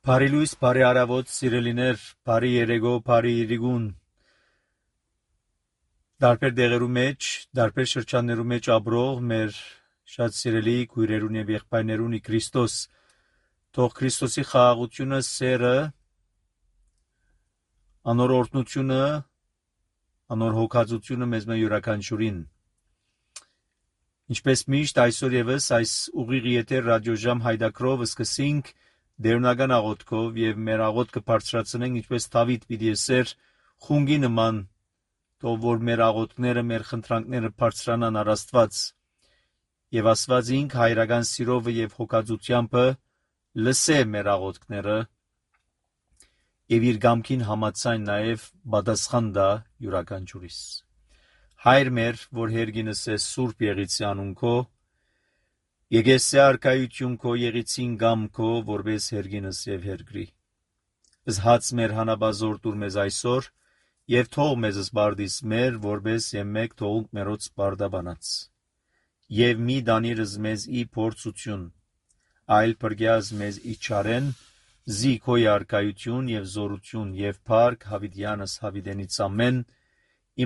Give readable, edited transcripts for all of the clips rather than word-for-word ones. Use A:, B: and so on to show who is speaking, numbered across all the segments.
A: Բարի լույս, բարի առավոտ, սիրելիներ, բարի երեկո, բարի իրիգուն, դարբեր դեղերու մեջ, դարբեր շրջաններու մեջ ապրող մեր շատ սիրելի քույրերուն եւ եղբայրներուն ի Քրիստոս, թող Քրիստոսի խաղաղությունը, սերը, անոր օրհնությունը, անոր հոգացությունը մեզ յուրաքանչյուրին։ Ինչպես միշտ այսօր եւս այս ուղիղ եթեր ռադիոժամ հայդակրով սկսենք դերունական աղոթքով եւ մեր աղոթքը բարձրացնենք ինչպես Դավիթ պիտի ասեր խունգի նման, թող որ մեր աղոթքները, մեր խնդրանքները բարձրանան առ Աստված եւ Աստված ինք հայրական սիրով եւ հոգացությամբ լսե մեր աղոթքները եւ իր գամքին համաձայն նաեւ պատասխան տա յուրաքանչյուրիս։ Հայր մեր, որ հերգինս է Սուրբ Եղիցի անուն քո, եկեսե արքայություն քո եղիցին գամ քո, որպես հերգինս եւ հերգրի։ Զհաց մեր հանաբազոր տուր մեզ այսօր, եւ թող մեզ սպարդիս մեր, որպես եւ մեկ թողունք մերոց սպարդաբանած։ Եվ մի դանիրս մեզ ի փորձություն, այլ պրգյազ մեզ ի չարեն, զի քո արքայություն եւ զորություն եւ փառք հավիտյանս հավիտենից ամեն,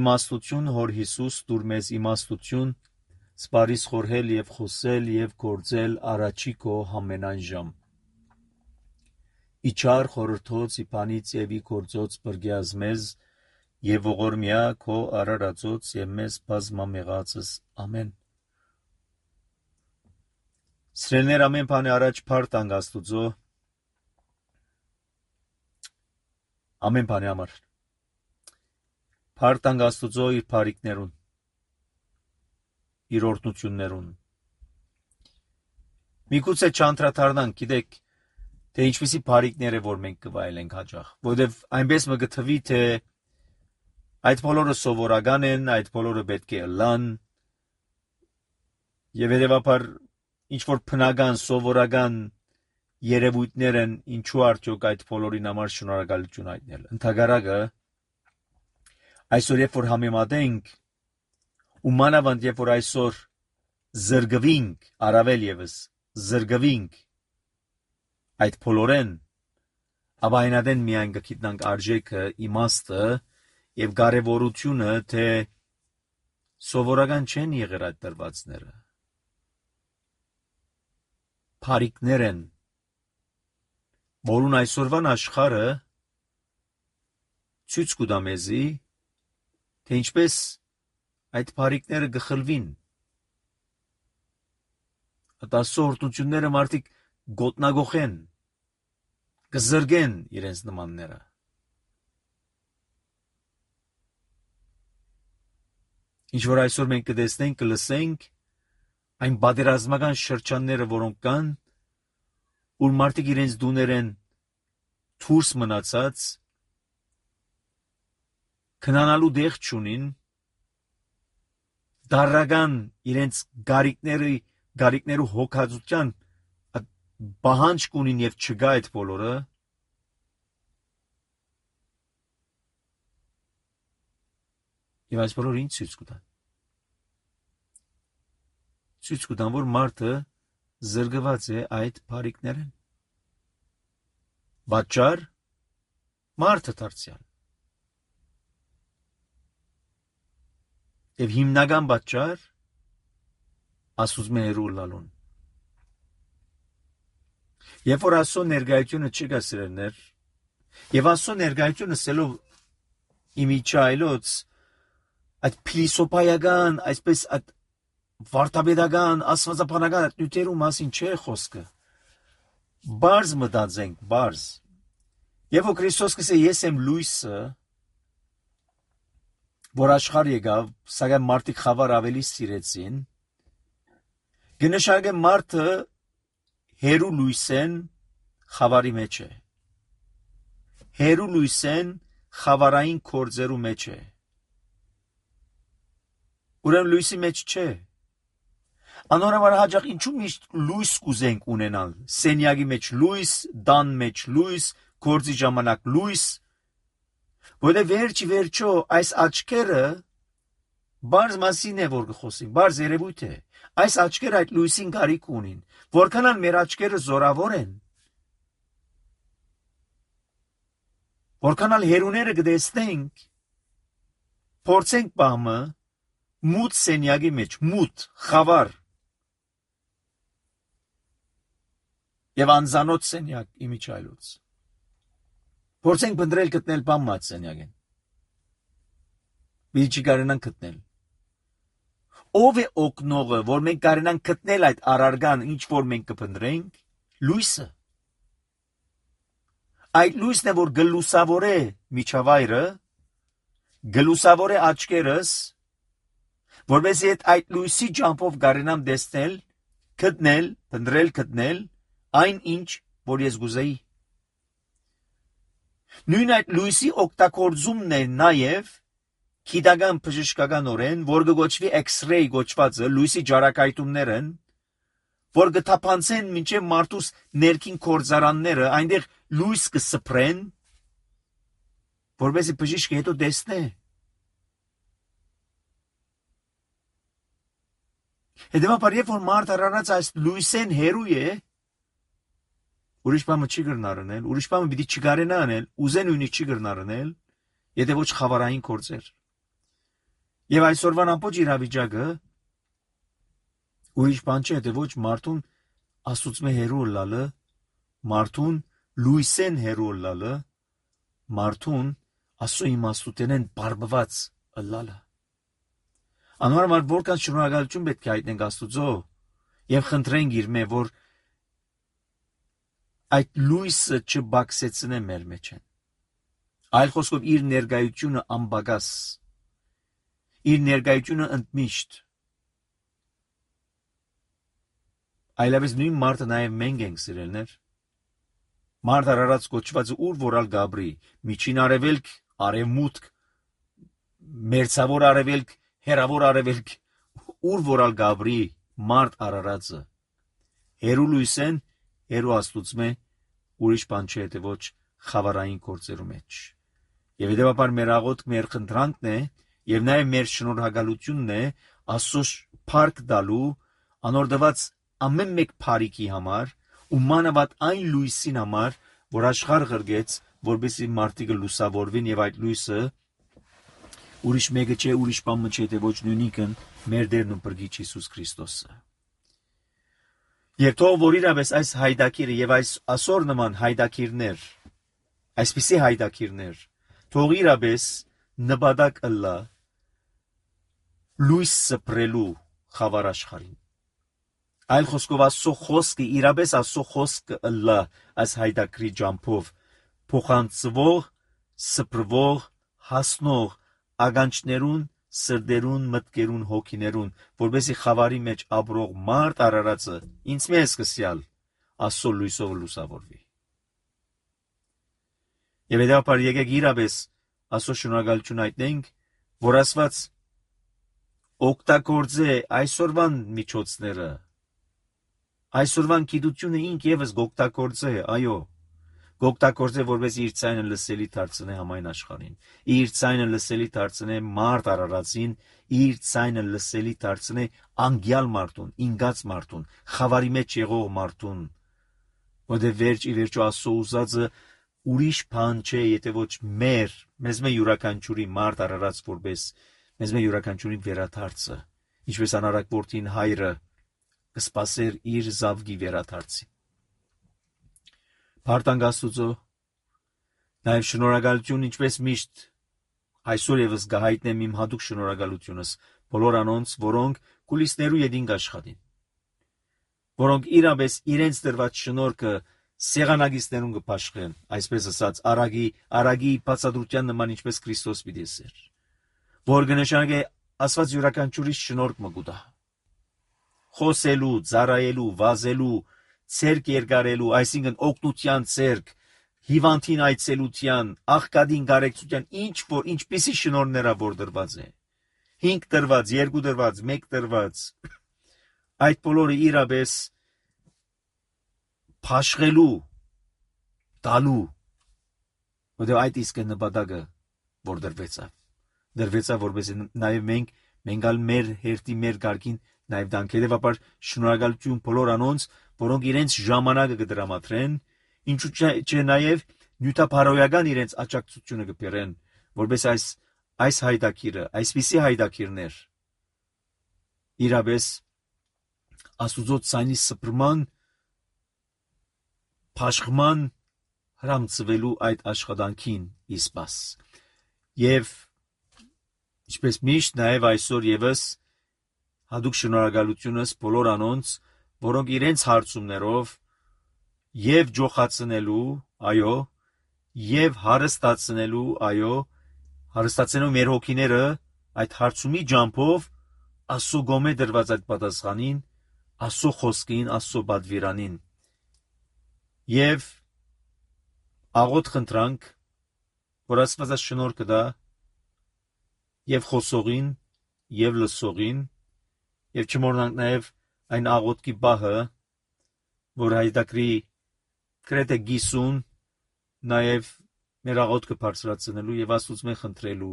A: իմաստություն հոր Հիսուս դուր մեզ իմաստություն, սպարիս խորհել եւ խոսել եւ գործել առաջի քո համենայն ժամ։ Իչար խորհրդոց իբանից եւ ի գործոց բրգյազ մեզ եւ ողորմյա քո արարածոց եւ մեզ բազմամեղածս ամեն։ Սրելներ ամեն բանի առաջ փառք տանք Աստուծո, ամեն բանի համար։ Փառք տանք Աստուծո իր բարիքներուն, իր օրհնություններուն։ Միգուցե չանդրադառնանք, գիտեք, թե ինչպիսի բարիքներ է որ մենք կվայելենք հաճախ, որովհետև այնպես մը գտվի, թե այդ բոլորը սովորական են, այդ բոլորը պետք է ըլլան, եւ հետեւաբար ինչ որ բնական, սովորական երևույթներ են, ինչու արդյոք այդ բոլորին համար շնորհակալություն հայտնել։ Ընդհակառակը այսօր երբ որ համեմատենք ու մանավանդ երբ որ այսօր զրկվինք, առավել եւս զրկվինք այդ բոլորեն, ապա այնադեն միայն կգիտնանք արժեքը, իմաստը եւ կարեւորությունը, թե սովորական չեն եղել այդ դրվածները։ Բարիքներ են, որուն այսօրվան աշխարհը ցույց կտա մեզի, թե ինչպես այդ բարիքները գխլվին։ Ատասորտությունները մարդիկ գոտնագոխեն, կզրգեն իրենց նմանները։ Ինչ որ այսօր մենք կտեսնենք, կլսենք այն պատերազմական շրջանները, որոնք կան, ուր մարդիկ իրենց դուներեն դուրս մնացած, քնանալու դեղ չունին, դարական իրենց գարիկներու հոգացության բահանջ կունին եւ չգա այդ բոլորը, եւ այս բոլորը ինչ ցույց կտան։ Ցույց կտան, որ մարդը զրկված է այդ բարիքներեն։ Պատճառ մարդը դարձյալ։ Եվ հիմնական պատճառ ասում է հերու լալուն։ Երբ որ Աստծո ներկայությունը չկա սիրելիներ, եւ Աստծո ներկայությունը սելով իմիջայլոց այդ փիլիսոփայական, այսպես այդ վարտաբեդական, աստվածաբանական նյութերու մասին չէ խոսքը։ Բարձ մտածենք, բարձ։ Եվ որ Քրիստոս կսե ես եմ լույսը, որ աշխարհ եկավ, սակայն մարդիկ խավար ավելի սիրեցին, կնշանակե մարդը հերու լույսեն խավարի մեջ է։ Հերու լույսեն խավարային կորձերու մեջ է։ Ուրեմն լույսի մեջ չէ։ Անորոշ հաճախ ինչու միշտ լույս կուզենք ունենալ։ Սենյակի մեջ լույս, դան մեջ լույս, գործի ժամանակ լույս։ Որտեղ վերջո այս աչքերը բարձ մասին է որ կխոսենք, բարձ երևույթ է։ Այս աչքերը այդ լույսին կարիք ունին, որքան էլ մեր աչքերը զորավոր են, որքան էլ հերուները կտեսնենք, փորձենք բամը մութ սենյակի մեջ, մութ, խավար եւ անզանոթ սենյակ իմիջայլոց։ Փորձենք բնդրել գտնել բամ մած սենյակին։ Մի չի կարենան գտնել։ Ով է օգնողը, որ մենք կարենան գտնել այդ առարգան, ինչ որ մենք կփնտրենք, լույսը։ Այդ լույսն է, որ գլուսավոր է միջավայրը, գլուսավոր է աչքերս, որովհետեւ այդ լույսի ջամփով կարենամ տեսնել, գտնել, փնտրել, գտնել այն ինչ, որ ես գուզեի։ Նույն այդ լույսի օգտագործումն է նաև քիդական բժշկականորեն, որ կոչվի X-ray գոչվածը, լույսի ջարակայթումներն, որ կթափանցեն մինչև մարդուս ներքին կորձարանները, այնտեղ լույս կսփռեն, որովհետեւ բժիշկը հետո տեսնե։ Հետևաբար, երբ որ մարդը առանց այս լույսեն հերու է, ուրիշ բանը չի գրնարնել, ուրիշ բանը պիտի չկարենա անել, ուզեն ունի չի գրնարնել, եթե ոչ խավարային կորձեր։ Եվ այսօրվան ամբողջ իրավիճակը ուրիշ բան չէ, եթե ոչ մարդուն աստուծմե հերու լալը, մարդուն լույսեն հերու լալը, մարդուն աստծո իմաստութենեն բարբված լալը։ Անորոշ որքան շնորհակալություն պետք է հայտնենք Աստուծո եւ խնդրենք իր մե, որ այդ լույսը չբացեցնե մեր մեջ են։ Այլ խոսքով իր ներկայությունը անբագաս, իր ներկայությունը ընդմիշտ։ Այլևս նույն մարդը նաև մենք ենք սիրելներ։ Մարդ արարած կոչվածը ուր որալ գաբրի, միջին արևելք, արևմուտք, մերձավոր արևելք, հերավոր արևելք, ուր որալ գաբրի, մարդ արարածը։ Հերու լույսեն, հերու աստուծմե, ուրիշ բան չէ, թե ոչ խավարային գործերու մեջ։ Եվ հետևաբար մեր աղոթք, մեր խնդրանքն է, եւ նաեւ մեր շնորհակալությունն է Աստծո փառք տալու անորդված ամեն մեկ փառիկի համար ու մանավանդ այն լույսին համար, որ աշխարհ ղրգեց, որբեսի մարդիկը լուսավորվին եւ այդ լույսը ուրիշ մեկը չէ, ուրիշ բան չէ, թե ոչ նույնիկն մեր Տերն ու Փրկիչ Հիսուս Քրիստոսը։ Եվ թող որ իրավես այս հայդակիրը եւ այս ասոր նման հայդակիրներ, այսպիսի հայդակիրներ, թող իրավես նպատակ ըլլա լույս սփռելու խավար աշխարհին։ Այլ խոսքով Աստծո խոսքը իրապես Աստծո խոսքը ըլլա այս հայդակրի ջամփով փոխանցվող, սփռվող, հասնող ագանչներուն, սրդերուն, մտքերուն, հոգիներուն, որբեսի խավարի մեջ ապրող մարդ արարածը ինձ մեզ կսյալ Աստծո լույսով լուսավորվի։ Եվ հետապար եկեք իրապես Աստծո շնորհակալություն հայտնենք, որ Աստված օգտագործե այսօրվան միջոցները, Այսօրվան գիտությունը ինք եւս գոկտակորձ է, այո, գոկտակորձ է, որպես իր ցայնը լսելի դարձնե համայն աշխարհին, իր ցայնը լսելի դարձնե մարդ Արարածին, իր ցայնը լսելի դարձնե անգյալ մարդուն, ինգած մարդուն, խավարի մեջ եղող մարդուն, որտեղ վերջ ի վերջո Աստծո ուզածը ուրիշ բան չէ, եթե ոչ մեզ յուրաքանչյուրի մարդ Արարած որպես մեզ յուրաքանչյուրի վերաթարցը, ինչպես անարակ որդին հայրը կսպասեր իր զավգի վերաթարցին։ Փառք Աստուծո, նաև շնորհակալություն, ինչպես միշտ այսօր եւս գահիտնեմ իմ հատուկ շնորհակալությունս բոլոր անոնց, որոնք կուլիսներու յետին աշխատին, որոնք իրապես իրենց դրված շնորհքը սեղանագիստներուն կփաշխեն, այսպես ասած, արագի բացատրության նման, ինչպես Քրիստոս պիտի էր, որ կնշանակե Աստված յուրաքանչյուրի շնորհք մը կուտա, խոսելու, ծառայելու, վազելու, ցերկ երկարելու, այսինքն օգնության ցերկ, հիվանդին այցելության, աղքատին կարեկցության, ինչպիսի շնորհներա որ դրված է, 5 դրված, 2 դրված, 1 դրված, այդ բոլորը իրապես փաշխելու, տալու, որտեղ այդ իսկ է նպատակը, որ դրվեցավ, որպես նաև մենք մեր հերթի մեր կարգին նաև դանք, հետևաբար շնորհակալություն բոլոր անոնց, որոնք իրենց ժամանակը կդրամատրեն, ինչու՞ չէ նաև նյութափարոյական իրենց աջակցությունը կբերեն, որպես այս հայտակիրը, այսպիսի հայտակիրներ իրապես Աստուծո ցայնի սփռման, փաշխման հրամցվելու այդ աշխատանքին իսպաս։ Եվ ինչպես միշտ նաև այսօր եւս հատուկ շնորհակալությունս բոլոր անոնց, որոնք իրենց հարցումներով եւ ջոխացնելու, այո, եւ հարստացնելու, այո, հարստացնելու մեր հոգիները այդ հարցումի ջամփով Աստծո գոմե դրված այդ պատասխանին, Աստծո խոսքին, Աստծո բադվիրանին։ Եվ աղոտ խնդրանք, որ Աստված շնորհ կտա եւ խոսողին, եւ լսողին, եւ չմոռնանք նաեւ այն աղոտքի բահը, որ հայտակրի գրեթե գիսուն նաեւ մեր աղոտքը բարձրացնելու եւ Աստծուց մենք խնդրելու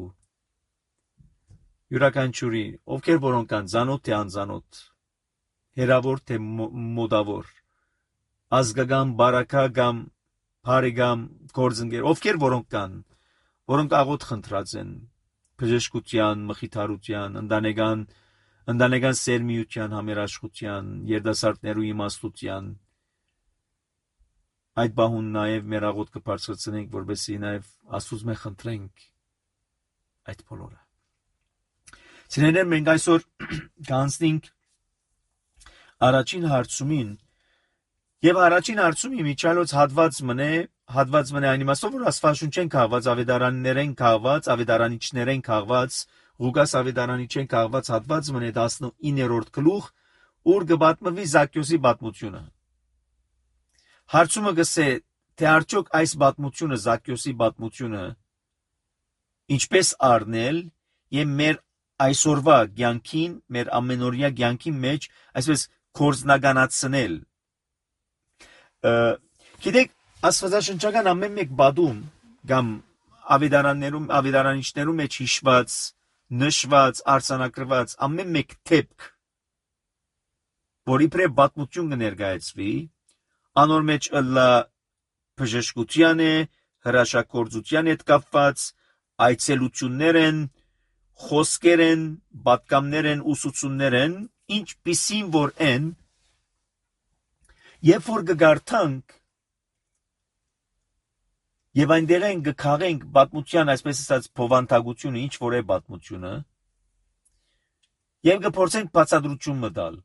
A: յուրաքանչյուրի, ովքեր որոնք կան ծանոթ թե անծանոթ, հերավոր թե մոդավոր, ազգական, բարակական, բարեկամ, գործընկեր, ովքեր որոնք կան, որոնք աղոտ խնդրած են բժշկության, մխիթարության, ընտանեկան սերմիության, համերաշխության, երիտասարդներու իմաստության, այդ բահուն նաև մեր աղոթքը բարձրացնենք, որպեսզի նաև Աստծուց մենք խնդրենք այդ բոլորը։ Սիրելիներ, մենք այսօր կանցնենք առաջին հարցումին, եւ առաջին հարցումի միջալոց հատված մնե այն իմաստով, որ Աստվածաշունչեն քաղված, ավետարաններեն քաղված, ավետարանիչներեն քաղված, Ղուկաս ավետարանիչեն քաղված հատված մնե 19-րդ գլուխ, ուր կպատմվի Զաքքյոսի պատմությունը։ Հարցումը գսե, թե արդյոք այս պատմությունը, Զաքքյոսի պատմությունը, ինչպես առնել եւ մեր այսօրվա կյանքին, մեր ամենօրյա կյանքի մեջ, այսպես կորձնականացնել։ Գիտեք, աստվածաշնչական ամեն մեկ բադում կամ ավետարանիչներում մեջ հիշված, նշված, արձանագրված ամեն մեկ թեփք, որի պրե պատմություն կներկայացվի, անոր մեջ ըլլա բժշկության է, հրաշագործության հետ կապված, այցելություններ են, խոսքեր են, պատգամներ են, ուսուցումներ են, ինչպիսին որ են, երբ որ կգարթանք եւ այնտեղ են կքաղենք պատմության, այսպես ասած, փովանտագությունը, ինչ որ է պատմությունը, եւ կփորձենք բացատրություն մտալ։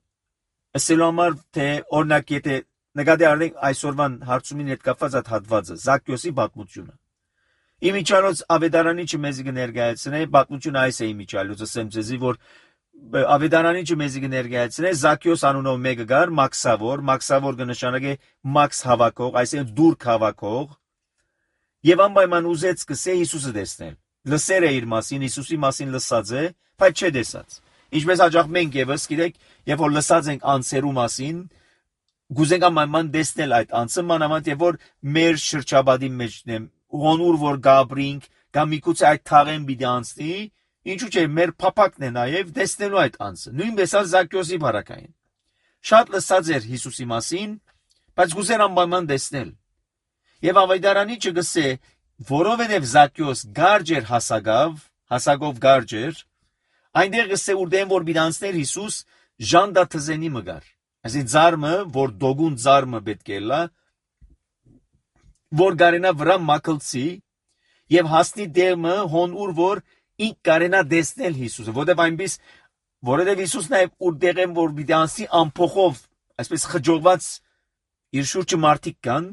A: Ասելու համար, թե օրինակ, եթե նկատի առնենք այսօրվան հարցումին հետ կապված այդ հատվածը, Զաքքյոսի պատմությունը։ Իմիջիալոց ավետարանիչը մեզ կներկայացնե, պատմությունը այս է իմիջիալոց, ասեմ ձեզի, որ ավետարանիչը մեզ կներկայացնե, Զաքքյոս անունով մեկը կար, Մաքսավոր կնշանակե Մաքս հավաքող, այսինքն դուրք հավաքող, եւ անպայման ուզեց սկսե Հիսուսը տեսնել։ Լսեր է իր մասին, Հիսուսի մասին լսած է, բայց չէ տեսած։ Ինչպես հաջող մենք եւս, գիտեք, երբ որ լսած ենք անձերու մասին, գուզենք ամայնման դեսնել այդ անձը մանավանդ եւ որ մեր շրջաբադի մեջն է ոնուր որ գաբրինք կամ միգուցե այդ թաղեն պիտի անցնի ինչու՞ չէ մեր փապակն է նաեւ դեսնելու այդ անձը նույնպես ալ Զաքյոսի բարակային շատ լսած էր Հիսուսի մասին բայց գուզեր անպայման դեսնել եւ ավայդարանի չգսե որովհետեւ Զաքյոս գարջ էր հասակով գարջ էր այնտեղ գսե ուրդեն որ պիտի անցներ Հիսուս ժանդա թզենի մգար այսին ծարմը որ դոգուն ծարմը պետք է լա որ գարենա վրա մակլցի եւ հասնի դեմը հոնուր որ ինք կարենա դեսնել Հիսուսը որովհետեւ Հիսուսն է ուրդեղ են որ պիտի անցի ամփոխով այսպես խջողված իր շուրջը մարդիկ կան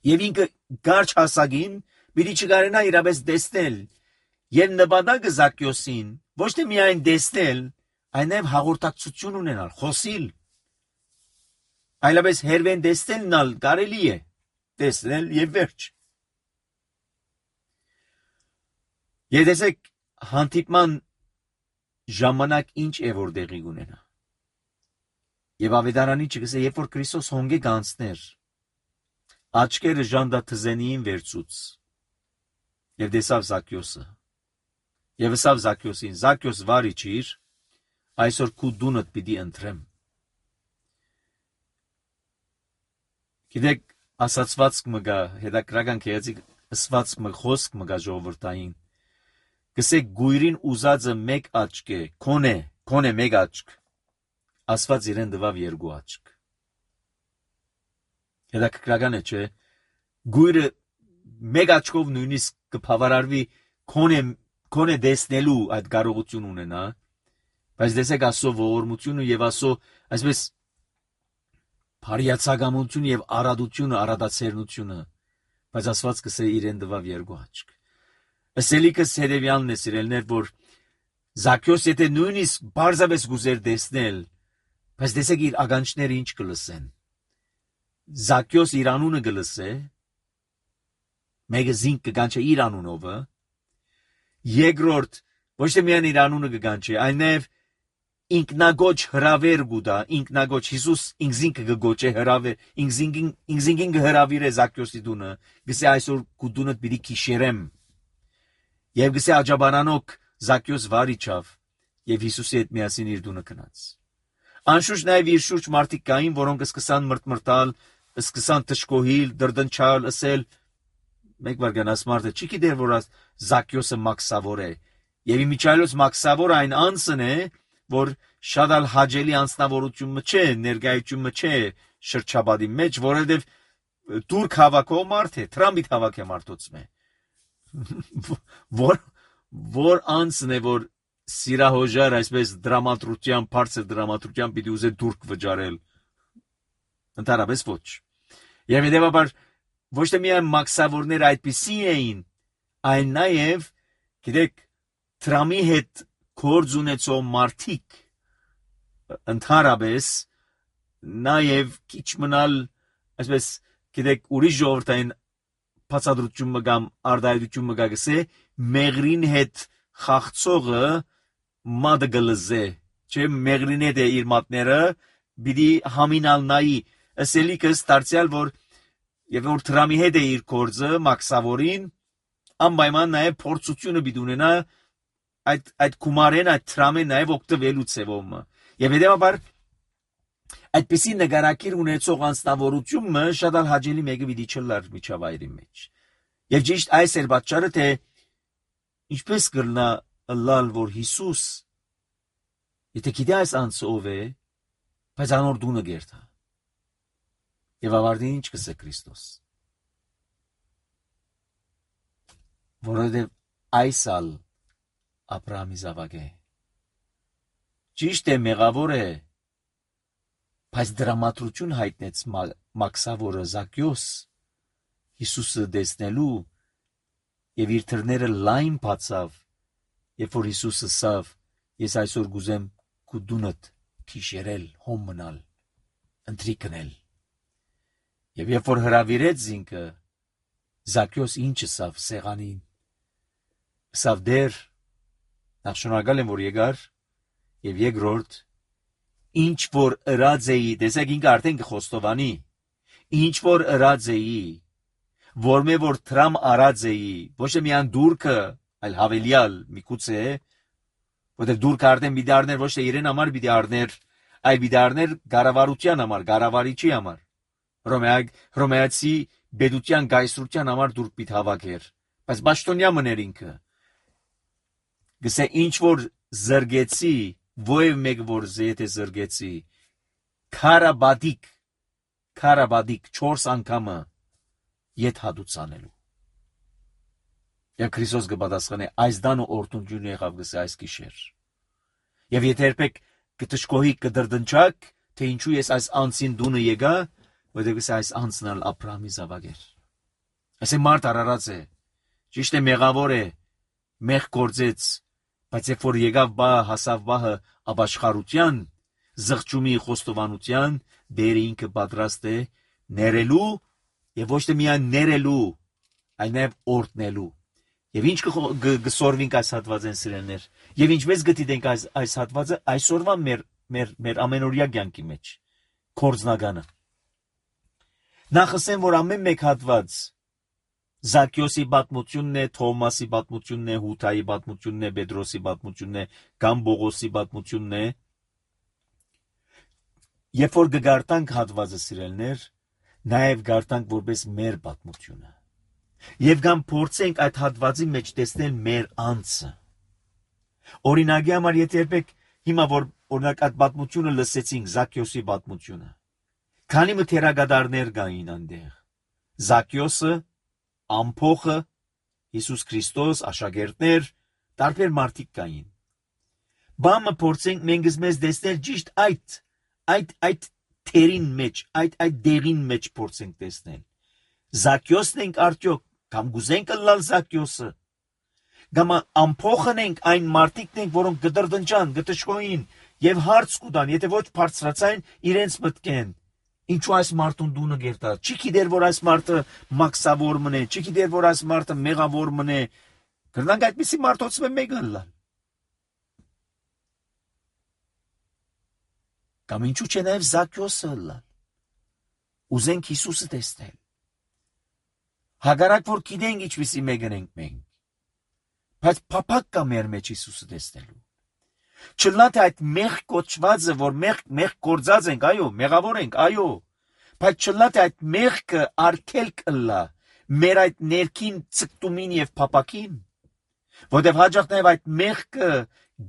A: եւ ինքը գարջ հասակին պիտի չկարենա իրապես դեսնել եւ նպատակը Զաքյոսին ոչ թե միայն դեսնել այն նաև հաղորդակցություն ունենալ խոսիլ այլապես հերվեն դեսնելն կարելի է դեսնել եւ վերջ եւ տեսեք հանդիպման ժամանակ ինչ է որ դեղի ունենա եւ ավետարանի չգսե երբ որ Քրիստոս հոնգե գանցներ աչքերը ժանդա թզենիին վերցուց եւ դեսավ Զաքյոսը եւ ասավ Զաքյոսին Զաքյոս վարի ճիր այսօր քու դունդ պիտի ընտրեմ գիտեք ասացված կմգա հետաքրական քեզի ասված մը խոսք մգա ժողովրդային գսեք գույրին ուզածը մեկ աչք է քոնե մեկ աչք ասված իրեն դվավ երկու աչք հետաքրական է չէ գույրը մեկ աչքով նույնիսկ կփավարարվի քոնե դեսնելու այդ կարողություն ունենա բայց դեսեք ասո ողորմությունը եւ ասո այսպես փարիացագամություն եւ արադացերնությունը բայց ասված կսե իրեն դվավ երկու աչք ասելիքս հետեւյալն է սիրելներ որ Զաքյոս եթե նույնիսկ բարձավես գուզեր դեսնել բայց դեսեք իր ագանչները ինչ կլսեն Զաքյոս իր անունը կլսե մեկը զինք կգանչե իր անունովը երկրորդ ոչ թե միայն իր անունը կգանչի այլ նաև ինքնագոչ հրավեր գուտա ինքնագոչ Հիսուս ինքզինքը կգոչե հրավեր ինքզինքին կհրավիրե Զաքյոսի դունը գսե այսօր քու դունդ պիտի քիշերեմ եւ գսե աջաբարանոք Զաքյոս վարիչավ եւ Հիսուսի հետ միասին իր դունը գնաց անշուշտ նաեւ իր շուրջ մարդիկ կային որոնք սկսան մրտմրտալ սկսան թշկոհիլ դրդնչալ ասել մեկ վարգանաս մարդը չի գիտեր որ Զաքյոսը մաքսավոր է եւ իմիջայլոց մաքսավոր այն անձն է որ շատ ալ հաջելի անձնավորությունը չէ ներկայությունը չէ շրջաբադի մեջ որովհետեւ դուրք հավաքող մարդ է տրամբիտ հավաք է մարդոցում է որ անձն է որ սիրահոժար այսպես դրամատրության բարձր դրամատրության պիտի ուզե դուրք վճարել ընդհանրապես ոչ եւ հետեւաբար ոչ թե միայն մաքսավորներ այդպիսի էին այլ նաեւ գիտեք տրամի հետ գործ ունեցող մարդիկ ընդհանրապես նաեւ քիչ մնալ այսպես գիտեք ուրիշ ժողովրդային բացատրություն կամ արդայություն մգագսե մեղրին հետ խաղցողը մադը գլզե չէ մեղրին հետ է իր մատները բիդի համինալ նայի ասելիքս դարձյալ որ եւ որ տրամի հետ է իր գործը մաքսավորին անպայման նաեւ փորձությունը բիդ ունենա այդ կումարեն այդ տրամեն նաեւ օգտվելու ցևոմը եւ հետեւաբար այդպիսի նկարակիր ունեցող անձնավորությունը շատ ալ հաջելի մեկը պիտի չլար միջավայրի մեջ եւ ճիշտ այս էր պատճառը թե ինչպես կլնա լալ որ Հիսուս եթե գիտի այս անձը ով է բայց անոր դունը գերտա եւ ավարտին ինչ կսե Քրիստոս որովհետեւ այսալ Աբրահամի զավակ է ճիշտ է մեղավոր է բայց դրամատրություն հայտնեց մաքսավորը Զաքյոս Հիսուսը դեսնելու եւ իր թրները լայն բացավ երբ որ Հիսուսը ասավ ես այսօր գուզեմ քու դունդ քիշերել հոմ մնալ ընտրի կնել եւ երբ որ հրավիրեց ինքը Զաքյոս ինչ ասավ սեղանին ասավ դեր նախ շնորհակալ եմ որ եկար եւ երկրորդ ինչ որ ըրած էի, տեսեք ինքը արդեն կխոստովանի, ինչ որ ըրած էի, որմե որ տրամ արած էի, ոչ թե միան դուրքը, այլ հավելյալ միգուցե, որտեղ դուրքը արդեն պիտի առներ ոչ թե իրեն համար պիտի առներ, այլ պիտի առներ գարավարության համար, գարավարիչի համար, Հռոմեացի բեդության գայսրության համար դուրք պիտի հավաքեր, բայց պաշտոնյա մներ ինքը, գսե ինչ որ զրգեցի, ովև մեկ որ զեթե զրգեցի, քարաբադիկ 4 անգամը ետ հադուց անելու։ Եվ Քրիստոս կպատասխանի այս դանը օրտունջուն եղավ գսե այս գիշեր։ Եվ եթե երբեք կտշկոհի կդրդնչակ, թե ինչու ես այս անցին դունը եկա, որտեղ գսե այս անցն ալ Աբրահամի զավակ էր։ Այսե մարդ արարած է, ճիշտ է մեղավոր է, մեղ գործեց, բայց երբ որ եկավ բահը, հասավ բահը ապաշխարության, զղջումի խոստովանության, դերը ինքը պատրաստ է ներելու եւ ոչ թե միայն ներելու, այլ նաեւ օրտնելու։ Եվ ինչ կսորվինք այս հատվածեն սիրելներ, եւ ինչպես գտիտենք այս հատվածը այսօրվա մեր ամենօրյա կյանքի մեջ, կորձնականը։ Նախ ասեմ, որ ամեն մեկ հատված Զաքյոսի պատմությունն է, Թոմասի պատմությունն է, Հութայի պատմությունն է, Պետրոսի պատմությունն է, կամ Բողոսի պատմությունն է։ Երբ որ կգարտանք հատվածը սիրելներ, նաև գարտանք որպես մեր պատմությունը։ Եվ կամ փորձենք այդ հատվածի մեջ տեսնել մեր անձը։ Օրինակի համար եթե երբեք հիմա որ օրինակ այդ պատմությունը լսեցինք, Զաքյոսի պատմությունը, քանի մթերագադարներ կային այնտեղ։ Զաքյոսը, ամփոխը, Հիսուս Քրիստոս, աշակերտներ, տարբեր մարդիկ կային։ Բամը փորձենք մենք մեզ տեսնել ճիշտ այդ թերին մեջ, այդ դեղին մեջ փորձենք տեսնել։ Զաքյոսն ենք արդյոք, կամ գուզենք լալ Զաքյոսը, կամ ամփոխն ենք այն մարդիկն ենք, որոնք գդրդնջան, գտշկոին եւ հարց կուտան, եթե ոչ բարձրացային իրենց մտքեն։ Ինչու այս մարդուն դունը գերտա։ Չի գիտեր որ այս մարդը մաքսավոր մնե, չի գիտեր որ այս մարդը մեղավոր մնե։ Կրնանք այդպիսի մարդոցը մեկը լալ։ Կամ ինչու՞ չէ նաև Զաքյոսը լալ։ Ուզենք Հիսուսը տեսնել։ Հակառակ որ գիտենք ինչպիսի մեկն ենք մենք։ Բայց փափակ կա մեր մեջ Հիսուսը տեսնելու։ Չլա թե այդ մեղ կոչվածը, որ մեղ գործած ենք, այո, մեղավոր ենք, այո, բայց չլա թե այդ մեղքը արգելք ըլլա մեր այդ ներքին ցկտումին եւ փափակին, որտեղ հաջող նաեւ այդ մեղքը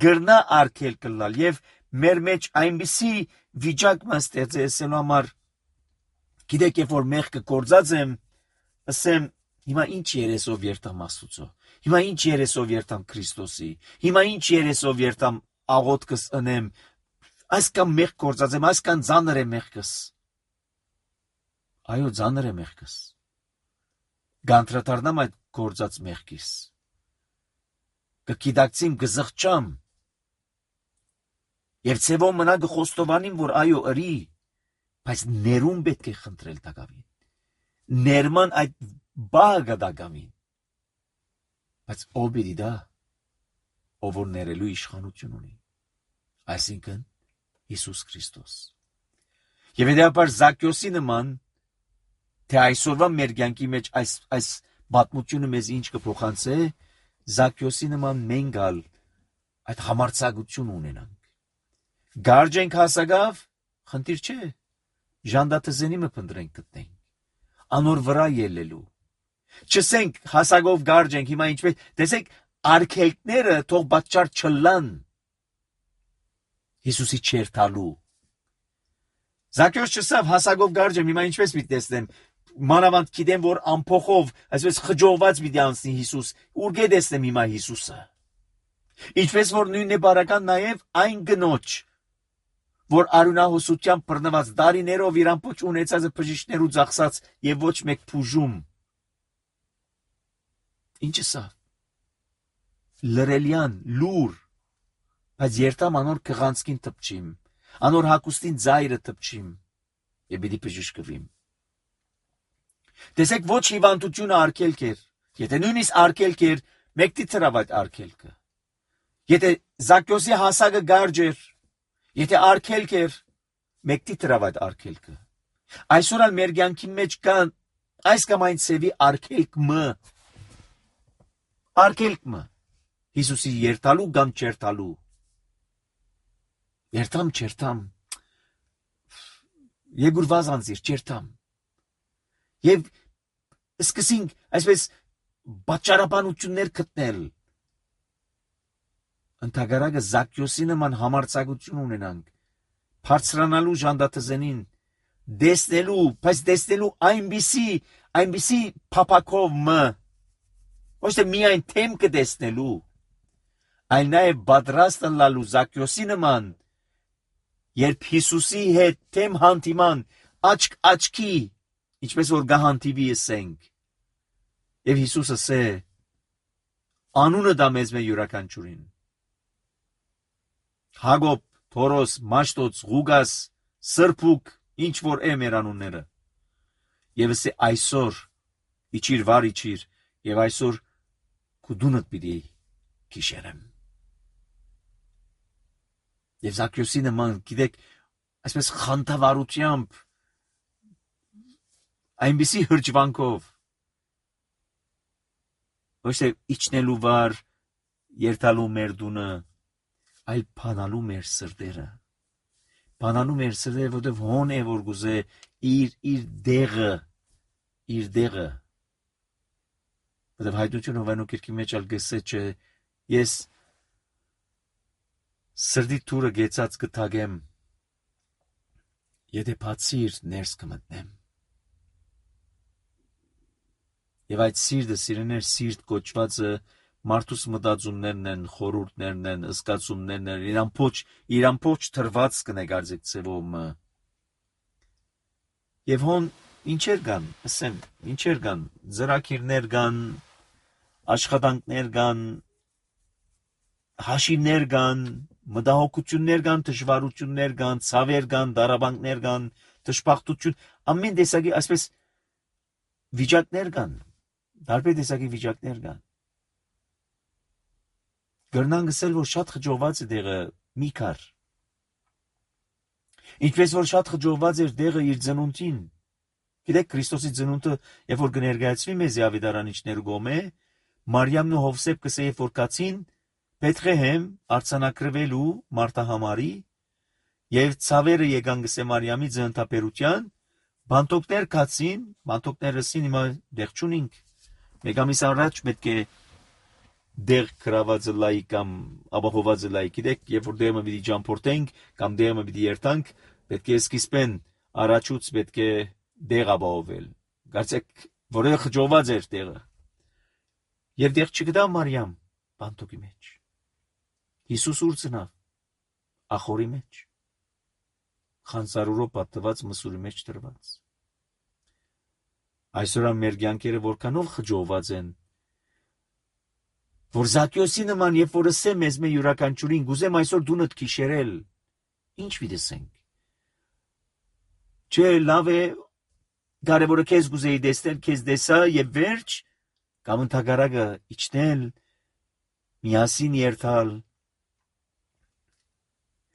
A: գրնա արգելք ըլլալ եւ մեր մեջ այնպիսի վիճակ ստեղծելու համար, գիտեք, երբ որ մեղքը գործած եմ, ասեմ, հիմա ինչ երեսով երթամ Աստծո, հիմա ինչ երեսով երթամ Քրիստոսի, հիմա ինչ երեսով երթամ աղոթքս ընեմ, այսքան մեղ գործած եմ, այսքան ծանր է մեղքս։ Այո, ծանր է մեղքս։ Գանտրատարնամ այդ գործած մեղքիս։ Կգիտակցիմ, կզղջամ։ Եվ ցևոն մնա կխոստովանիմ, որ այո, ըրի, բայց ներում պետք է խնդրել տակավին։ Ներման այդ բաղը տակավին։ Բայց ով պիտի դա, ով որ ներելու իշխանություն ունի, այսինքն Հիսուս Քրիստոս։ Եվ հետեւաբար Զաքյոսի նման, թե այսօրվա մեր կյանքի մեջ այս պատմությունը մեզ ինչ կփոխանցե, Զաքյոսի նման մենք ալ այդ համարձակություն ունենանք։ Գարջ ենք հասակավ, խնդիր չէ, ժանդատզենի մը փնտրենք գտնենք, անոր վրա ելելու։ Չսենք հասակով գարջ ենք, հիմա ինչպես, տեսեք, արգելքները թող պատճառ չլան Հիսուսի չերթալու։ Զաքյոս չսավ հասակով գարջ եմ, հիմա ինչպես պիտի տեսնեմ, մանավանդ գիտեմ, որ ամփոխով, այսպես խջողված պիտի անցնի Հիսուս, ուր գտեսնեմ հիմա Հիսուսը։ Ինչպես որ նույնն է բարական նաև այն գնոջ, որ արյունահոսությամբ բռնված դարիներով իր ամբողջ ունեցածը բժիշկներու ծախսած եւ ոչ մեկ փուժում։ Ինչը սա։ Լրելյան, լուր, բայց երթամ անոր կղանցքին տպչիմ, անոր հակուստին ձայրը տպչիմ եւ պիտի բժշկվիմ։ Տեսեք, ոչ հիվանդությունը արգելք էր, եթե նույնիսկ արգելք էր, մեկտի ծրավ այդ արգելքը։ Եթե Զաքյոսի հասակը գարջ էր, Եթե արգելք էր, մեկտի տրավ այդ արգելքը։ Այսօր ալ մեր կյանքի մեջ կան այս կամ այն ծևի արգելքը։ Հիսուսի երթալու կամ չերթալու։ Երթամ, չերթամ։ Եգուր վազանձիր, չերթամ։ Եվ սկսենք այսպես պատճառաբանություններ գտնել։ Ընդհանրակը Զաքյոսի նման համարձակություն ունենանք, բարձրանալու ժանդաթզենին, դեսնելու, բայց դեսնելու այնպիսի փափակով ոչ թե միայն թեմ կդեսնելու, այլ նաև պատրաստ լալու Զաքյոսի նման, երբ Հիսուսի հետ թեմ հանդիման, աչք աչքի, ինչպես որ գահանտիվի ասենք, եւ Հիսուսը ասե, անունը դա մեզ մե յուրաքանչյուրին։ Հակոբ, Թորոս, Մաշտոց, Ղուգաս, Սրբուկ, ինչ որ է մեր անունները։ Եվ ասե այսօր իջիր վար իջիր եւ այսօր քու դունդ պիտի քիշերեմ։ Եվ Զաքյոսի նման, գիտեք, այսպես խանդավառությամբ, այնպիսի հրճվանքով, ոչ թե իջնելու վար, երթալու մեր դունը, այլ փանալու մեր սրտերը։ Փանալու մեր սրտերը, որտեղ հոն է որ գուզե իր դեղը, որտեղ հայտնություն Հովանու կիրքի մեջ ալ գսե չէ, ես սրդի թուրը գեցած կթագեմ, եթե բացիր ներս կմտնեմ։ Եվ այդ սիրտը, սիրեներ, սիրտ կոչվածը մարդուս մտածումներն են, խորհուրդներն են, ըսկացումներն են, իրան փոչ թրված կնեգարձեք ծևում։ Եվ հոն ինչեր կան, ասեմ, ինչեր կան, ծրագիրներ կան, աշխատանքներ կան, հաշիվներ կան, մտահոգություններ կան, դժվարություններ կան, ցավեր կան, դարաբանքներ կան, դժբախտություն, ամեն տեսակի այսպես վիճակներ կան, տարբեր տեսակի վիճակներ կան։ Գրնան գսել, որ շատ խջոված է դեղը մի քար։ Ինչպես որ շատ խջոված էր դեղը իր ծնունդին։ Գիտեք, Քրիստոսի ծնունդը, երբ որ կներկայացվի մեզ ավետարանիչներու գոմե, Մարիամն ու Հովսեփ կսե, երբ որ կացին Բեթղեհեմ արձանագրվելու Մարտահամարի, եւ ցավերը եկան գսե Մարիամի ծննդաբերության, բանտոկներ կացին, բանտոկները ասին հիմա դեղ չունինք։ Մեկ ամիս առաջ պետք է դեղ գրավածը լայի կամ ապահովվածը լայի, գիտեք, երբ որ դեղը պիտի ճամփորդենք կամ դեղը պիտի երթանք, պետք է սկիզբեն առաջուց պետք է դեղ ապահովել։ Կարծեք, որը խջոված էր դեղը։ Եվ դեղ չգտավ Մարիամ բանտոկի մեջ։ Հիսուս ուր ծնավ, ախորի մեջ, խանձարուրով պատված մսուրի մեջ տրված։ Այսօր մեր կյանքերը որքանով խջոված են, որ Զաքյոսի նման, երբ որ ասե մեզ մե յուրաքանչյուրին, գուզեմ այսօր դունդ քիշերել, ինչ վիդեսենք։ Չէ, լավ է, կարևորը քեզ գուզեի դեսնել, քեզ դեսա եւ վերջ, կամ ընդհակառակը իջնել, միասին երթալ,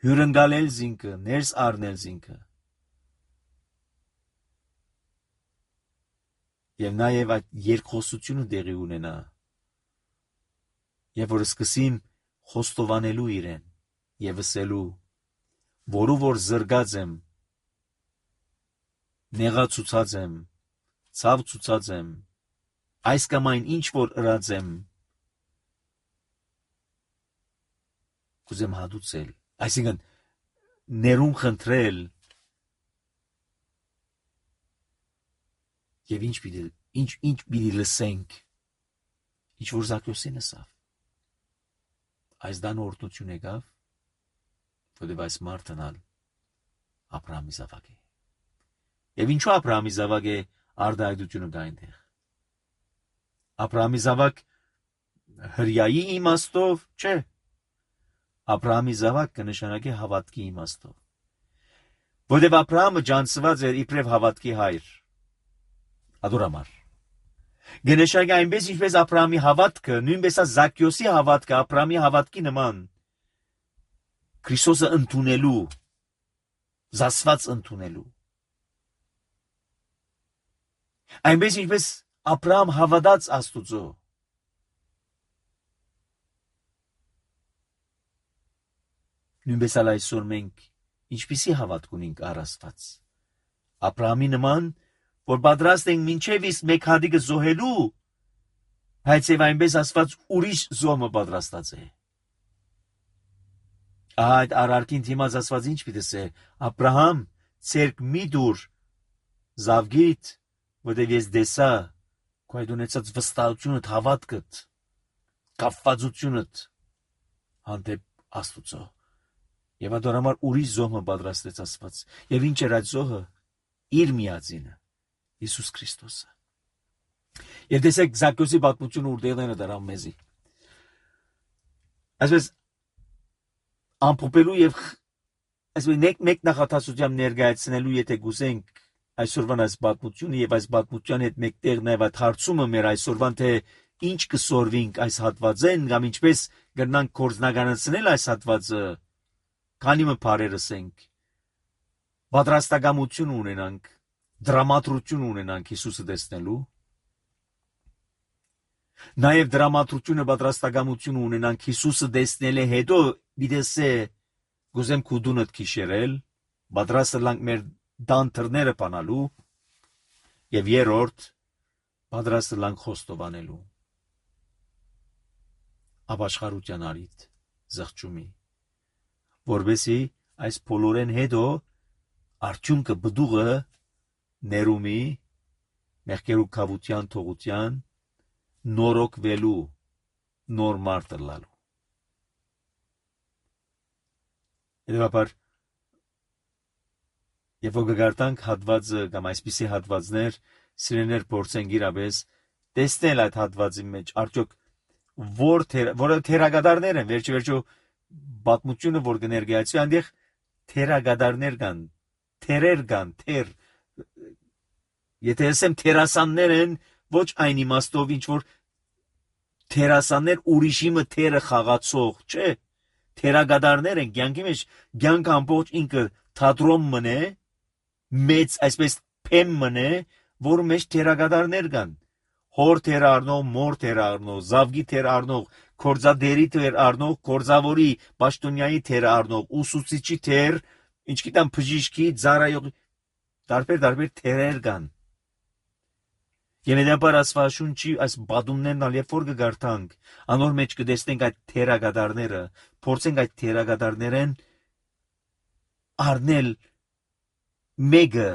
A: հյուրընկալել զինքը, ներս առնել զինքը։ Եվ նաև այդ երկխոսությունը դեղի ունենա։ Եվ որ սկսիմ խոստովանելու իրեն եւ ասելու, որու որ զրգած եմ, նեղացուցած եմ, ցավ ցուցած եմ, այս կամ այն ինչ որ ըրած եմ, կուզեմ հադուցել, այսինքն ներում խնդրել եւ ինչ պիտի լսենք, ինչ որ Զաքյոսին ասավ։ Այս դան օրհնություն եկավ, որտեղ այս մարդն ալ Աբրահամի զավակ է։ Եվ ինչու Աբրահամի զավակ է արդայդությունը կա այնտեղ։ Աբրահամի զավակ հրյայի իմաստով չէ։ Աբրահամի զավակ կնշանակի հավատքի իմաստով։ Որտեղ Աբրահամը ջանցված էր իբրև հավատքի հայր։ Ադորամար։ Գնշակի այնպես ինչպես Աբրահամի հավատքը, նույնպես է Զաքյոսի հավատքը Աբրահամի հավատքի նման։ Քրիստոսը ընդունելու, զասված ընդունելու։ Այնպես ինչպես Աբրահամ հավատաց Աստուծո, նույնպես էլ այսօր մենք ինչպիսի հավատք ունենք առ Աստված։ Աբրահամի նման, որ պատրաստ ենք մինչև իսկ մեկ հատիկը զոհելու, բայց եւ այնպես Աստված ուրիշ զոհը պատրաստած է։ Այդ արարքին դիմաց Աստված ինչ պիտի ասե. Աբրահամ, ցերկ մի դուր զավգիտ, որտեղ ես դեսա քո այդ ունեցած վստահությունդ, հավատքդ, կապվածությունդ հանդեպ Աստուծո։ Եվ այդ համար ուրիշ զոհը պատրաստեց Աստված։ Եվ ինչ էր այդ զոհը։ Իր միածինը Հիսուս Քրիստոսը։ Եվ տեսեք Զաքեոսի պատմությունը ուր դեղն է դրան մեզի։ Այսպես ամփոփելու եւ այսպես մեկ նախատասությամբ ներկայացնելու, եթե գուզենք այսօրվան այս պատմությունը եւ այս պատմության հետ մեկտեղ նաեւ այդ հարցումը մեր այսօրվան թե ինչ կսորվինք այս հատվածեն կամ ինչպես կգնանք կորզնականացնել այս հատվածը, քանի մը բարերս ենք, պատրաստակամություն ունենանք, դրամատրություն ունենանք Հիսուսը տեսնելու, նաև դրամատրությունը պատրաստակամություն ունենանք Հիսուսը տեսնելը հետո դիտեսե գուզեմ քուդունդ քիշերել, պատրաստը լանք մեր դանթրները բանալու եւ երրորդ պատրաստը լանք խոստովանելու ապաշխարության արիթ զղջումի, որովհետեւ այս բոլորեն հետո արդյունքը բդուղը ներումի մեղքերու կավության թողության նորոգվելու նոր մարդը լալու։ Հետևաբար Եվ որ գարտանք հատվածը կամ այսպիսի հատվածներ սիրեներ փորձենք իրապես տեսնել այդ հատվածի մեջ արդյոք որը թերագադարներ են վերջո պատմությունը որ կներկայացվի այնտեղ թերագադարներ կան թերեր կան թեր եթե ասեմ թերասաններ են ոչ այն իմաստով ինչ որ թերասաններ ուրիշի մը թերը խաղացող չէ թերագադարներ են կյանքի մեջ կյանք ամբողջ ինքը թատրոն մնե մեծ այսպես փեմ մնե որ մեջ թերագադարներ կան հոր թեր առնող մոր թեր առնող զավգի թեր առնող կորզադերի թեր առնող կորզավորի պաշտոնյայի թեր առնող ուսուցիչի թեր ինչ գիտեմ բժիշկի ծառայող տարբեր թերեր կան Ենեդապար ասվաշունչի այս բադումներն ալ երբ որ կգարտանք անոր մեջ կտեսնենք այդ թերագադարները փորձենք այդ թերագադարներեն առնել մեկը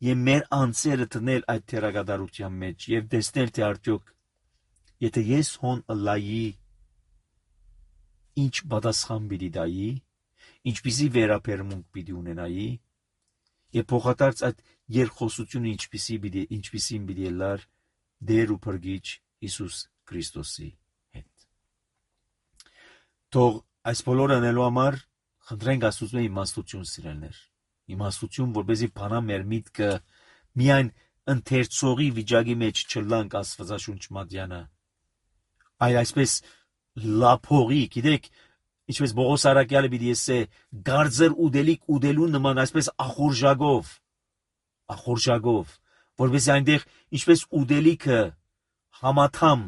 A: եւ մեր անձերը դնել այդ թերագադարության մեջ եւ տեսնել թե արդյոք եթե ես հոն լայի ինչ պատասխան պիտի տայի ինչպիսի վերաբերմունք պիտի ունենայի եւ փոխադարձ այդ երկխոսությունը ինչպիսին պիտի լար դեր ու փրկիչ Հիսուս Քրիստոսի հետ թող այս բոլորը անելու համար խնդրենք Աստծո իմաստություն սիրելներ իմաստություն որպեսզի բանա մեր միտքը միայն ընթերցողի վիճակի մեջ չլանք Աստվածաշունչ մատյանը այլ այսպես լափողի գիտեք ինչպես Բողոս Արաքյալը պիտի ասե գարձր ուդելիք ուդելու նման այսպես ախորժագով որպես այնտեղ ինչպես ուդելիքը համաթամ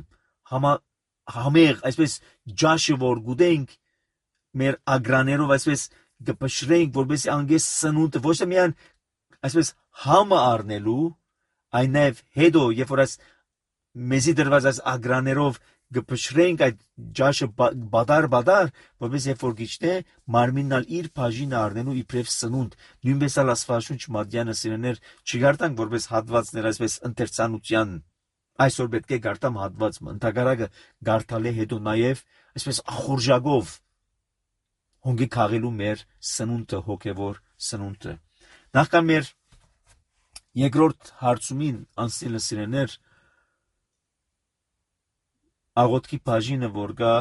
A: համեղ այսպես ջաշը որ գուտենք մեր ագրաներով այսպես գպշրենք որպես անգես սնունդը ոչ թե միայն այսպես համը առնելու այն նաև հետո երբ որ այս մեզի դրված այս ագրաներով գպշրենք այդ ջաշը բադար որպես երբ որ գիչնե մարմիննալ իր բաժինը առնելու իբրև սնունդ նույնպես ալ Աստվածաշունչ մատյանը սիրեներ չգարտանք որպես հատվածներ այսպես ընթերցանության այսօր պետք է գարտամ հատվածը ընդհակառակը գարտալի հետո նաև այսպես ախորժակով հոնգի քաղելու մեր սնունդը հոգևոր սնունդը նախքան մեր երկրորդ հարցումին անցնելը սիրեներ աղոթքի բաժինը որ գա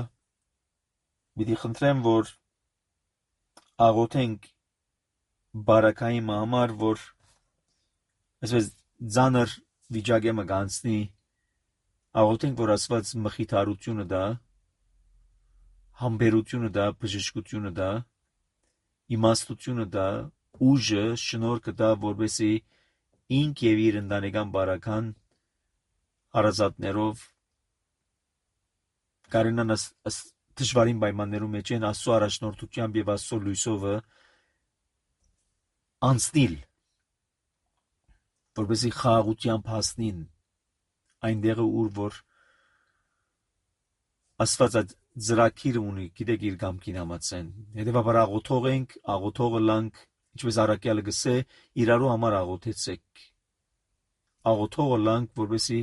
A: պիտի խնդրեմ որ աղոթենք բարակայի համար որ այսպես ձանր վիճակը մգանցնի աղոթենք որ Աստված մխիթարությունը դա համբերությունը դա բժշկությունը դա իմաստությունը դա, ուժը, շնորհքը դա, որպեսզի ինք եւ իր ընտանեկան բարական հարազատներով կարենան դժվարին պայմաններում մեջ են Աստծո առաջնորդությամբ եւ Աստծո լույսովը անցնել, որպեսզի խաղաղությամբ հասնին այնտեղը, ուր որ Աստված այդ ծրագիրը ունի, գիտեք, իր կամքին համաձայն։ Հետևաբար աղոթող ենք, աղոթողը լանք, ինչպես առաքյալը գսե, իրարու համար աղոթեցեք։ Աղոթողը լանք, որպեսզի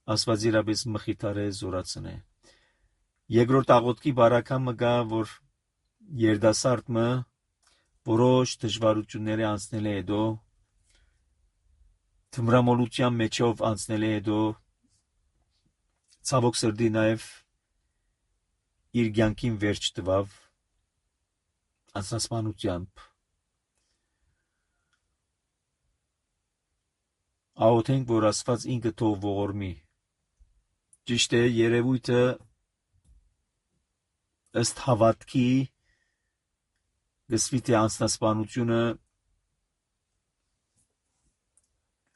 A: Աստված իրապես մխիթարե, զորացնե։ Երկրորդ աղոթքի բարակամը գա, որ երդասարտը որոշ դժվարությունները անցնել է հետո, թմրամոլության մեջով անցնել է հետո, ցավոք սրտի նաև իր կյանքին վերջ տվավ անձնասպանությամբ։ Աղոթենք, որ Աստված ինքը թող ողորմի։ Ճիշտ է, երևույթը ըստ հավատքի գսվի թե անձնասպանությունը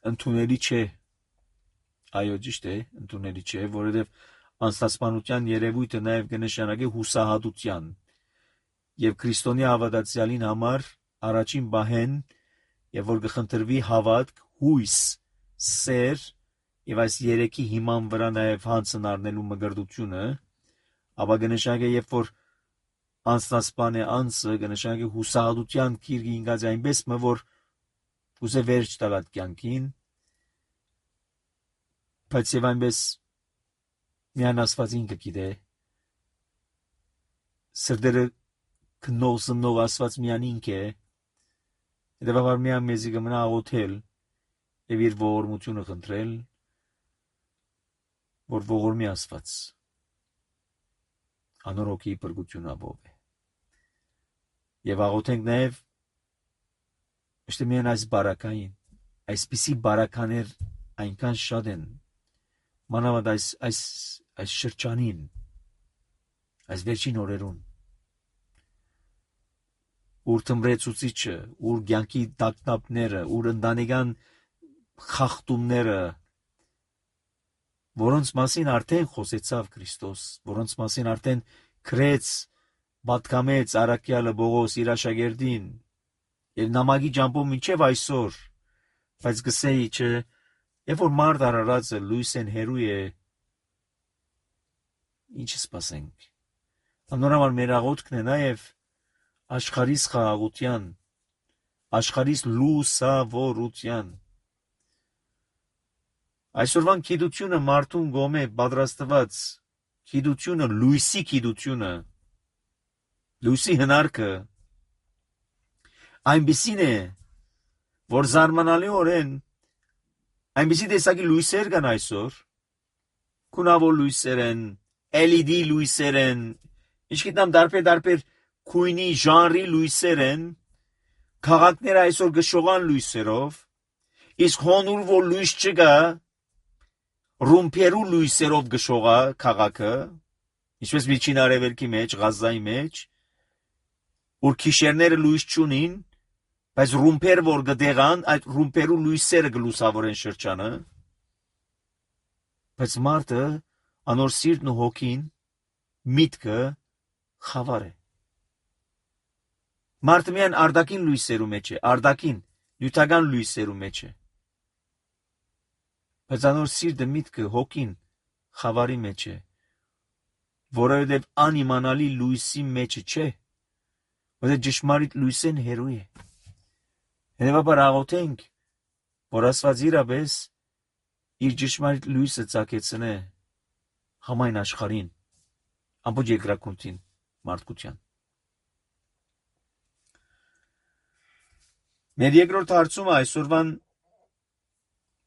A: ընդունելի չէ։ Այո, ճիշտ է, ընդունելի չէ, որովհետև անձնասպանության երևույթը նաև կնշանակի հուսահատության եւ քրիստոնյա հավատացյալին համար առաջին բահեն եւ որ կխնդրվի հավատք, հույս, սեր եւ այս երեքի հիման վրա նաև հանցն առնելու մգրդությունը, ապա կնշանակի երբ որ անձնասպան է անձը, կնշանակի հուսահատության գիրք ինգած այնպես որ ուզե վերջ տալ այդ կյանքին, բայց եւ այնպես միայն Աստված ինքը գիտե, սրտերը քնող զննող Աստված միայն ինք է, հետևաբար միայն մեզի կմնա աղոթել եւ իր ողորմությունը խնդրել, որ ողորմի Աստված անոր հոգի բրգություն ապով է։ Եվ աղոթենք նաև ըստ միայն այս բարակային, այսպիսի բարականեր այնքան շատ են, մանավանդ այս շրջանին, այս վերջին օրերուն, ուր թմրեցուցիչը, ուր կյանքի տագնապները, ուր ընտանեկան խախտումները, որոնց մասին արդեն խոսեցավ Քրիստոս, որոնց մասին արդեն գրեց, պատկամեց առաքյալը Պողոս իր աշակերտին, եւ նամակի ջամփով մինչեւ այսօր, բայց գսեի չէ, երբ որ մարդ արարածը լույսեն հերու է, ինչ սպասենք։ Անորոշ մեր աղոթքն է նաեւ աշխարհիս խաղաղության, աշխարհիս լուսավորության։ Այսօրվան գիտությունը մարդուն գոմե պատրաստված գիտությունը, լույսի գիտությունը, լույսի հնարքը այնպիսին է, որ զարմանալիորեն այնպիսի տեսակի լույսեր կան այսօր, քունավոր լույսեր են, LED լույսեր են, ինչքիդամ դարբեր քույնի ժանրի լույսեր են, քաղաքները այսօր գշողան լույսերով, իսկ հոնուր որ լույս չկա, ռումպերու լույսերով գշողա քաղաքը, ինչպես միջին արևելքի մեջ, Ղազայի մեջ, որ քիշերները լույս չունին, բայց ռումպեր որ գտեղան, այդ ռումպերու լույսերը գլուսավորեն շրջանը, բայց մարդը անոր սիրտն ու հոգին, միտքը խավար է։ Մարդը միայն արտաքին լույսերու մեջ է, արտաքին, նյութական լույսերու մեջ է։ Բայց անոր սիրտը, միտքը, հոգին խավարի մեջ է, որովհետև անիմանալի լույսի մեջ չէ, որովհետև ճշմարիտ լույսեն հերու է։ Հետևաբար աղոթենք, որ Աստված իրապես իր ճշմարիտ լույսը ծագեցնե համայն աշխարհին, ամբողջ երկրակունքին, մարդկության։ Մեր երկրորդ հարցումը այսօրվան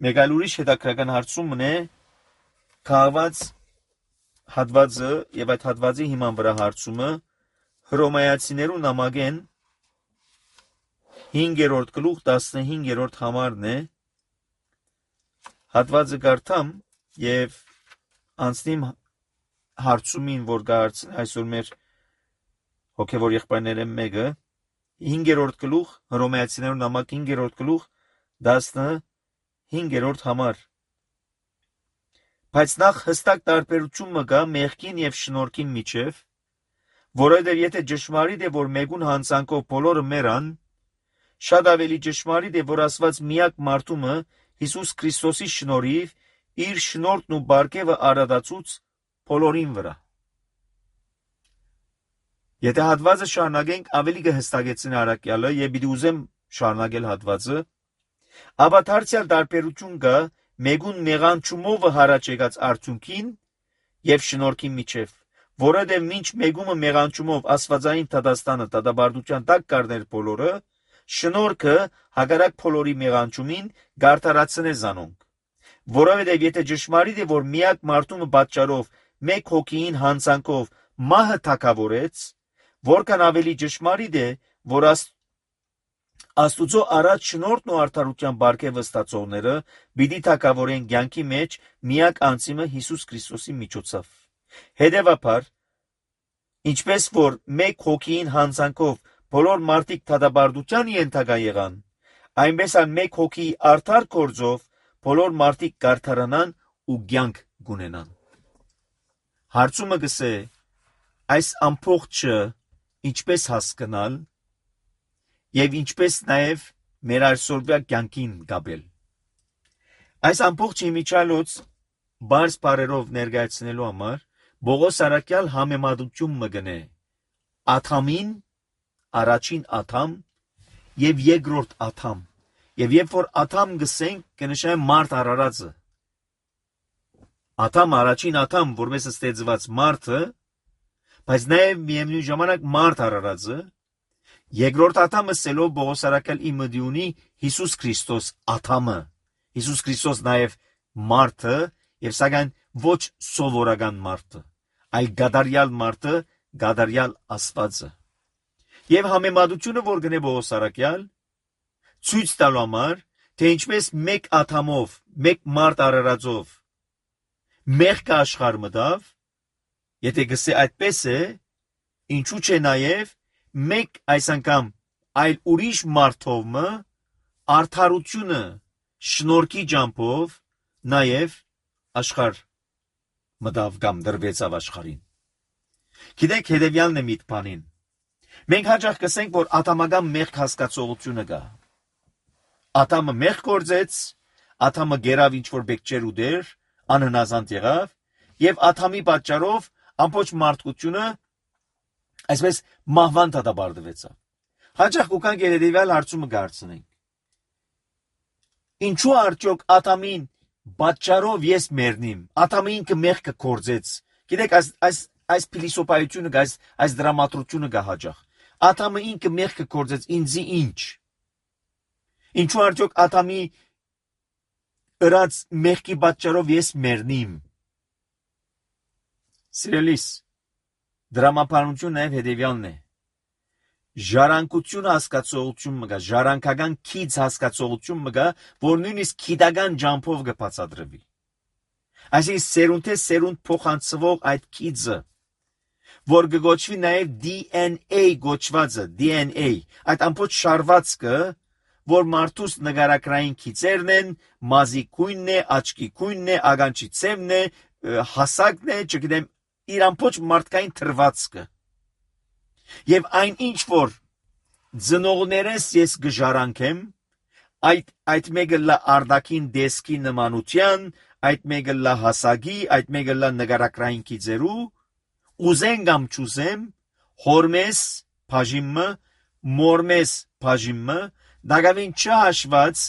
A: մեկ այլ ուրիշ հետաքրքրական հարցումն է քաղված հատվածը եւ այդ հատվածի հիման վրա հարցումը Հռոմայացիներու նամակեն 5-րդ գլուխ 15-րդ համարն է, հատվածը կարդամ եւ անցնիմ հարցումին, որ կհարցնի այսօր մեր հոգեվոր եղբայրները մեկը, 5-րդ գլուխ, Հռոմեացիներուն նամակ 5-րդ գլուխ 15-րդ համար։ Բայց նախ հստակ տարբերություն մը կա մեղքին եւ շնորհքին միջև, որովհետեւ եթե ճշմարիտ է, որ մեգուն հանցանքով բոլորը մեռան, շատ ավելի ճշմարիտ է, որ Աստված միակ մարդումը Հիսուս Քրիստոսի շնորհիվ իր շնորհքն ու բարգեւը արադացուց բոլորին վրա։ Եթե հատվածը շարունակենք, ավելի կհստակեցնի առաքյալը եւ պիտի ուզեմ շարունակել հատվածը, ապա դարձյալ տարբերություն կա մեգուն մեղանչումով հարաճ եկած արդյունքին եւ շնորհքին միջև, որովհետեւ մինչ մեգումը մեղանչումով աստվածային դատաստանը դատաբարդության տակ կառներ բոլորը, շնորհքը հակառակ բոլորի մեղանչումին գարտարացնե զանոնք, որովհետեւ եթե ճշմարիտ է, որ միակ մարդումը պատճառով մեկ հոգին հանցանքով մահը թակավորեց, որքան ավելի ճշմարիտ է, որ Աստուծո առաջ շնորհքն ու արդարության բարգեւը ստացողները պիտի թակավորեն կյանքի մեջ միակ անձիմը Հիսուս Քրիստոսի միջոցով։ Հետևաբար, ինչպես որ մեկ հոգին հանցանքով բոլոր մարդիկ դատաբարդության ենթակա եղան, այնպես էլ մեկ հոգի արդար գործով բոլոր մարդիկ կարդարանան ու կյանք գունենան։ Հարցումը գսե, այս ամբողջը ինչպես հասկանալ եւ ինչպես նաեւ մեր այսօրվա կյանքին գաբել։ Այս ամբողջ իմիջալոց բարձ բարերով ներկայացնելու համար Բողոս առաքյալ համեմատություն մը գնե Աթամին, առաջին Աթամ եւ երկրորդ Աթամ, եւ երբ որ Աթամ գսենք, կնշանակի մարդ արարածը։ Աթամ առաջին Աթամ, որպես ստեղծված մարդը, բայց նաեւ միևնույն ժամանակ մարդ արարածը, երկրորդ Աթամը սելով Բողոս առաքյալ իմը ունի Հիսուս Քրիստոս Աթամը, Հիսուս Քրիստոս նաեւ մարդը եւ սակայն ոչ սովորական մարդը, այլ գադարյալ մարդը, գադարյալ Աստվածը։ Եվ համեմատությունը, որ գնե Բողոս առաքյալ, ցույց տալու համար, թե ինչպես մեկ Աթամով, մեկ մարդ արարածով մեղքը աշխարհ մտավ, եթե գսե այդպես է, ինչու՞ չէ նաեւ մեկ այս անգամ այլ ուրիշ մարդով մը արդարությունը շնորհքի ջամփով նաեւ աշխարհ մտավ կամ դրվեցավ աշխարհին։ Գիտեք, հետևյալն է միտքանին։ Մենք հաճախ կսենք, որ աթամական մեղք հասկացողությունը կա։ Աթամը մեղք գործեց, աթամը գերավ ինչ որ բեկչեր ու դեր, անհնազանդ եղավ, եւ աթամի պատճառով ամբողջ մարդկությունը այսպես մահվան դատաբարդվեցավ։ Հաճախ կուքան գերեդիվալ հարցումը գարցնենք։ Ինչու արդյոք աթամին պատճառով ես մեռնիմ, աթամը ինքը մեղքը գործեց։ Գիտեք, այս փիլիսոփայությունը, այս դրամատրությունը կա հաճախ։ Աթամը ինքը մեղքը գործեց, ինձի ինչ։ Ինչու արդյոք աթամի ըրած մեղքի պատճառով ես մեռնիմ։ Սիրելիս, դրամապանությունը նաև հետևյալն է։ Ժառանգություն հասկացողություն մգա, ժառանգական քիծ հասկացողություն մգա, որ նույնիսկ քիդական ջամփով կբացատրվի։ Այսինքն սերունդե սերունդ փոխանցվող այդ քիծը, որ կգոչվի նաև DNA գոչվածը, DNA, այդ ամբողջ շարվածքը, որ մարդուս նգարակրային քիծերն են, մազի քույնն է, աչքի քույնն է, ագանչի ցևն է, հասակն է, չգիտեմ, իր ամբողջ մարդկային թրվածքը։ Եվ այն ինչ որ ծնողներս ես գժարանքեմ, այդ մեկը լա արդակին դեսքի նմանության, այդ մեկը լա հասակի, այդ մեկը լա նգարակրային քիծերու, ուզեն կամ չուզեմ, հորմես բաժիմը, մորմես բաժիմը, դակավին չհաշված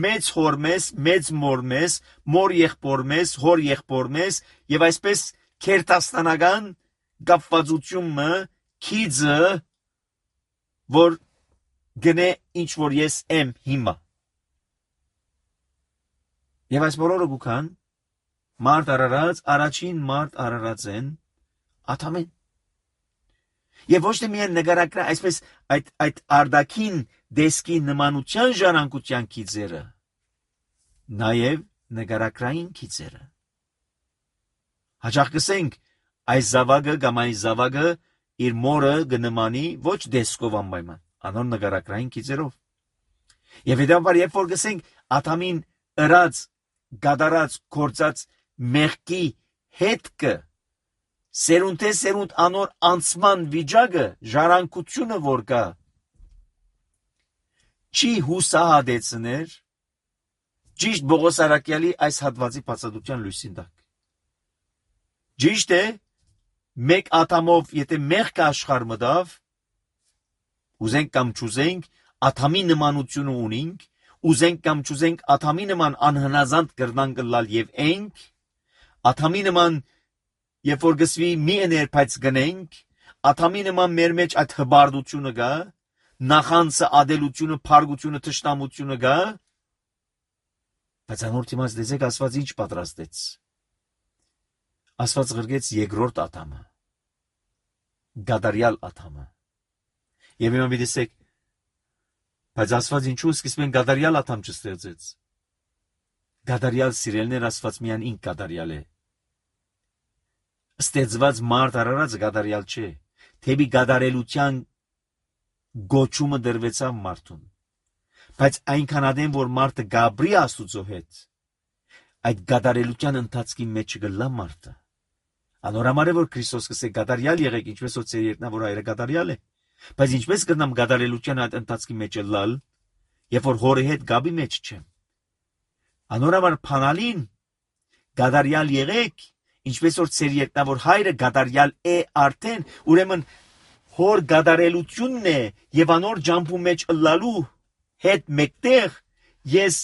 A: մեծ հորմես, մեծ մորմես, մոր եղբորմես, հոր եղբորմես եւ այսպես քերտաստանական գապվածությունը քիծը, որ գնե ինչ որ ես եմ հիմա։ Եվ այս բոլորը գուքան մարդ արարած, առաջին մարդ արարած են Աթամեն։ Եվ ոչ թե միայն նկարակրա, այսպես այդ արդակին դեսքի նմանության ժառանգության քիծերը, նաև նկարակրային քիծերը։ Հաճախ կսենք, այս զավակը կամ այս զավակը իր մորը կնմանի ոչ դեսքով անպայման, անոր նկարագրային գիծերով։ Եվ հետաբար երբ որ գսենք Ադամին ըրած, գադարած, կործած մեղքի հետքը, սերունդե սերունդ անոր անցման վիճակը, ժառանգությունը որ կա, չի հուսահատեցներ ճիշտ Պողոս Արաքյալի այս հատվածի բացատրության լույսին տակ։ Ճիշտ է, մեկ ատամով, եթե մեղքը աշխարհ մտավ, ուզենք կամ չուզենք, Ադամի նմանությունը ունենք, ուզենք կամ չուզենք, Ադամի նման անհնազանդ կրնանք լալ եւ ենք, Ադամի նման, երբ որ գսվի մի էներ բայց գնենք, Ադամի նման մեր մեջ այդ հբարդությունը կա, նախանցը, ադելությունը, փարգությունը, թշնամությունը կա, բայց անոր դիմաց դեզեք Աստված ինչ պատրաստեց։ Աստված գրգեց երկրորդ Ադամը, գադարյալ Ադամը։ Եվ հիմա մի տեսեք, բայց Աստված ինչու սկիզբեն գադարյալ Ադամ չստեղծեց։ Գադարյալ սիրելներ Աստված միայն ինք գադարյալ է։ Ստեղծված մարդ արարածը գադարյալ չէ։ Թեպի գադարելության գոչումը դրվեցավ մարդուն։ Բայց այնքան ադեմ, որ մարդը գաբրի Աստուծո հետ, այդ գադարելության ընթացքի մեջ գլա մարդը։ Անորամար է, որ Քրիստոս կսե գադարյալ եղեք, ինչպես որ ծեր երկնավոր հայրը գադարյալ է։ Բայց ինչպես կգնամ գադարելության այդ ընթացքի մեջ լալ, երբ որ հորի հետ գաբի մեջ չեմ։ Անորամար փանալին գադարյալ եղեք, ինչպես որ ծեր երկնավոր հայրը գադարյալ է արդեն, ուրեմն հոր գադարելությունն է եւ անոր ջամփու մեջ լալու հետ մեկտեղ ես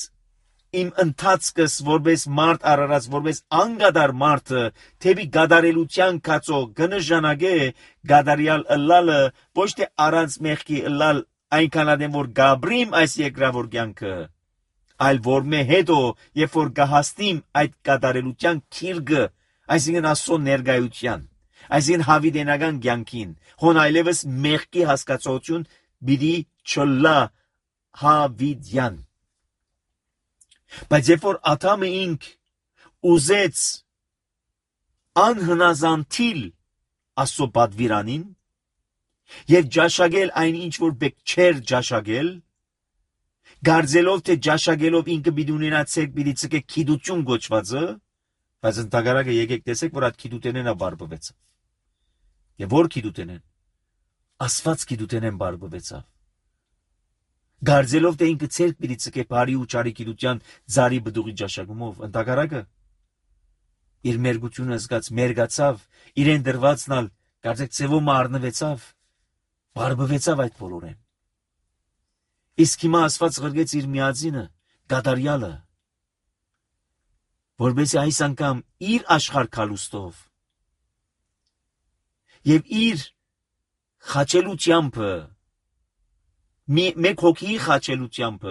A: իմ ընթացքս որպես մարդ արարած, որպես անգադար մարդը, թեպի գադարելության կացո գնժանագե գադարյալ ըլլալը, ոչ թե առանց մեղքի ըլլալ այնքան ադեմ, որ գաբրիմ այս երկրավոր կյանքը, այլ որ մե հետո, երբ որ գահաստիմ այդ գադարելության քիրգը, այսինքն Աստծո ներկայության, այսինքն հավիտենական կյանքին, հոն այլևս մեղքի հասկացություն պիտի չլա հավիտյան։ Բայց երբ որ Ադամը ինք ուզեց անհնազանդիլ Աստծո պատվիրանին եւ ջաշագել այն ինչ որ բեք չեր ջաշագել, գարձելով թե ջաշագելով ինքը պիտի ունենա ցերկ պիտի ցկե քիդություն գոչվածը, բայց ընդհանրակը եկեք տեսեք որ այդ քիդութենենա բարբվեցավ։ Եվ որ քիդութենեն Աստված քիդութենեն բարբվեցավ։ Գարձելով թե ինքը ցերկ պիտի ցկե բարի ու ճարի քիդության ծարի բդուղի ջաշակումով, ընդհանրակը իր մերգությունը զգաց, մերգացավ, իրեն դրվածնալ, կարծեք ծևոմը առնվեցավ, բարբվեցավ այդ բոլորեն։ Իսկ հիմա Աստված գրգեց իր միածինը, գադարյալը, որբեսի այս անգամ իր աշխարհ քալուստով եւ իր խաչելությամբ մեկ հոգի խաչելությամբ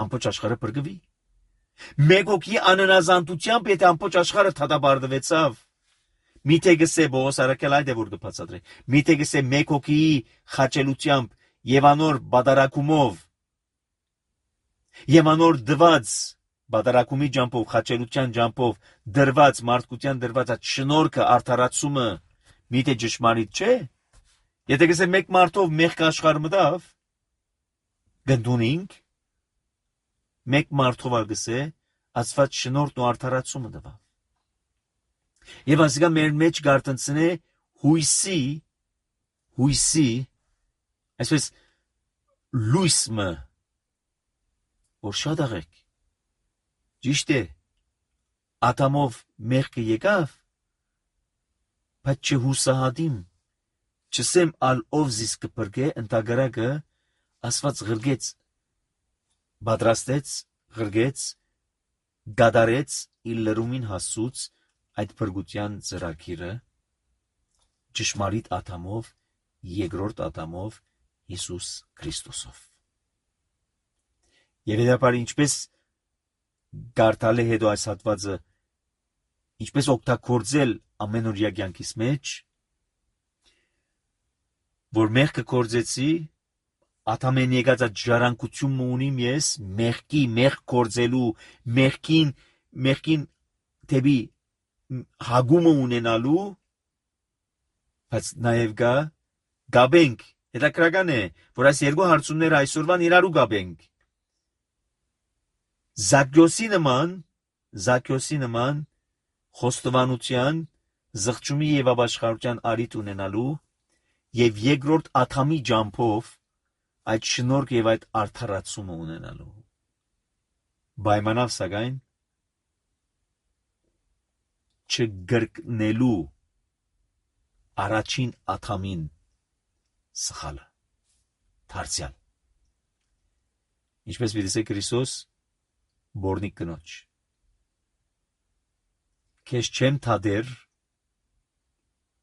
A: ամբողջ աշխարհը բրգվի։ Մեկ հոգի աննազանդությամբ եթե ամբողջ աշխարհը թադաբարդվեցավ, միթե գսե Պողոս Արաքյալ այդ է որ դպացադրե, միթե գսե մեկ հոգի խաչելությամբ եւ անոր բادرակումով եւ անոր դված բادرակումի ջամփով, խաչելության ջամփով դրված մարդկության դրված այդ շնորհքը արդարացումը միթե ճշմարիտ չէ։ Եթե գսե մեկ մարդով մեղք աշխարհ մտավ, գնդունինք մեկ մարդով ալգսե Աստված շնորհն ու արդարացումը տվավ։ Եվ ասիկա մեր մեջ գարտնցնե հույսի, այսպես լույսը, որ շատ աղեք, ճիշտ է, Ադամով մեղքը եկավ, բայց չհուսահատիմ, չսեմ ալ ով զիս կպրգե, ընդհանրակը Աստված գրգեց, պատրաստեց, գրգեց, գադարեց իր լրումին հասուց այդ փրկության ծրագիրը ճշմարիտ Ադամով, երկրորդ Ադամով, Հիսուս Քրիստոսով։ Եվ հետապար ինչպես գարտալ է հետո այս հատվածը, ինչպես օգտագործել ամենօրյա կյանքիս մեջ, որ մեղքը կործեցի, Ադամեն եկած այդ ժառանգությունն ունիմ ես, մեղք կործելու, մեղքին թեպի հագումը ունենալու, բայց նաև գաբենք Հետաքրական է, որ այս երկու հարցումները այսօրվան իրարու գաբենք։ Զաքյոսի նման խոստովանության, զղջումի եւ ապաշխարության արիթ ունենալու եւ երկրորդ աթամի ջամփով այդ շնորհք եւ այդ արդարացումը ունենալու։ Պայմանավ սակայն չգրկնելու առաջին աթամին սխալը դարձյալ։ Ինչպես վիդեսե Քրիստոս բորնիկ կնոջ։ Քեզ չեմ թադեր,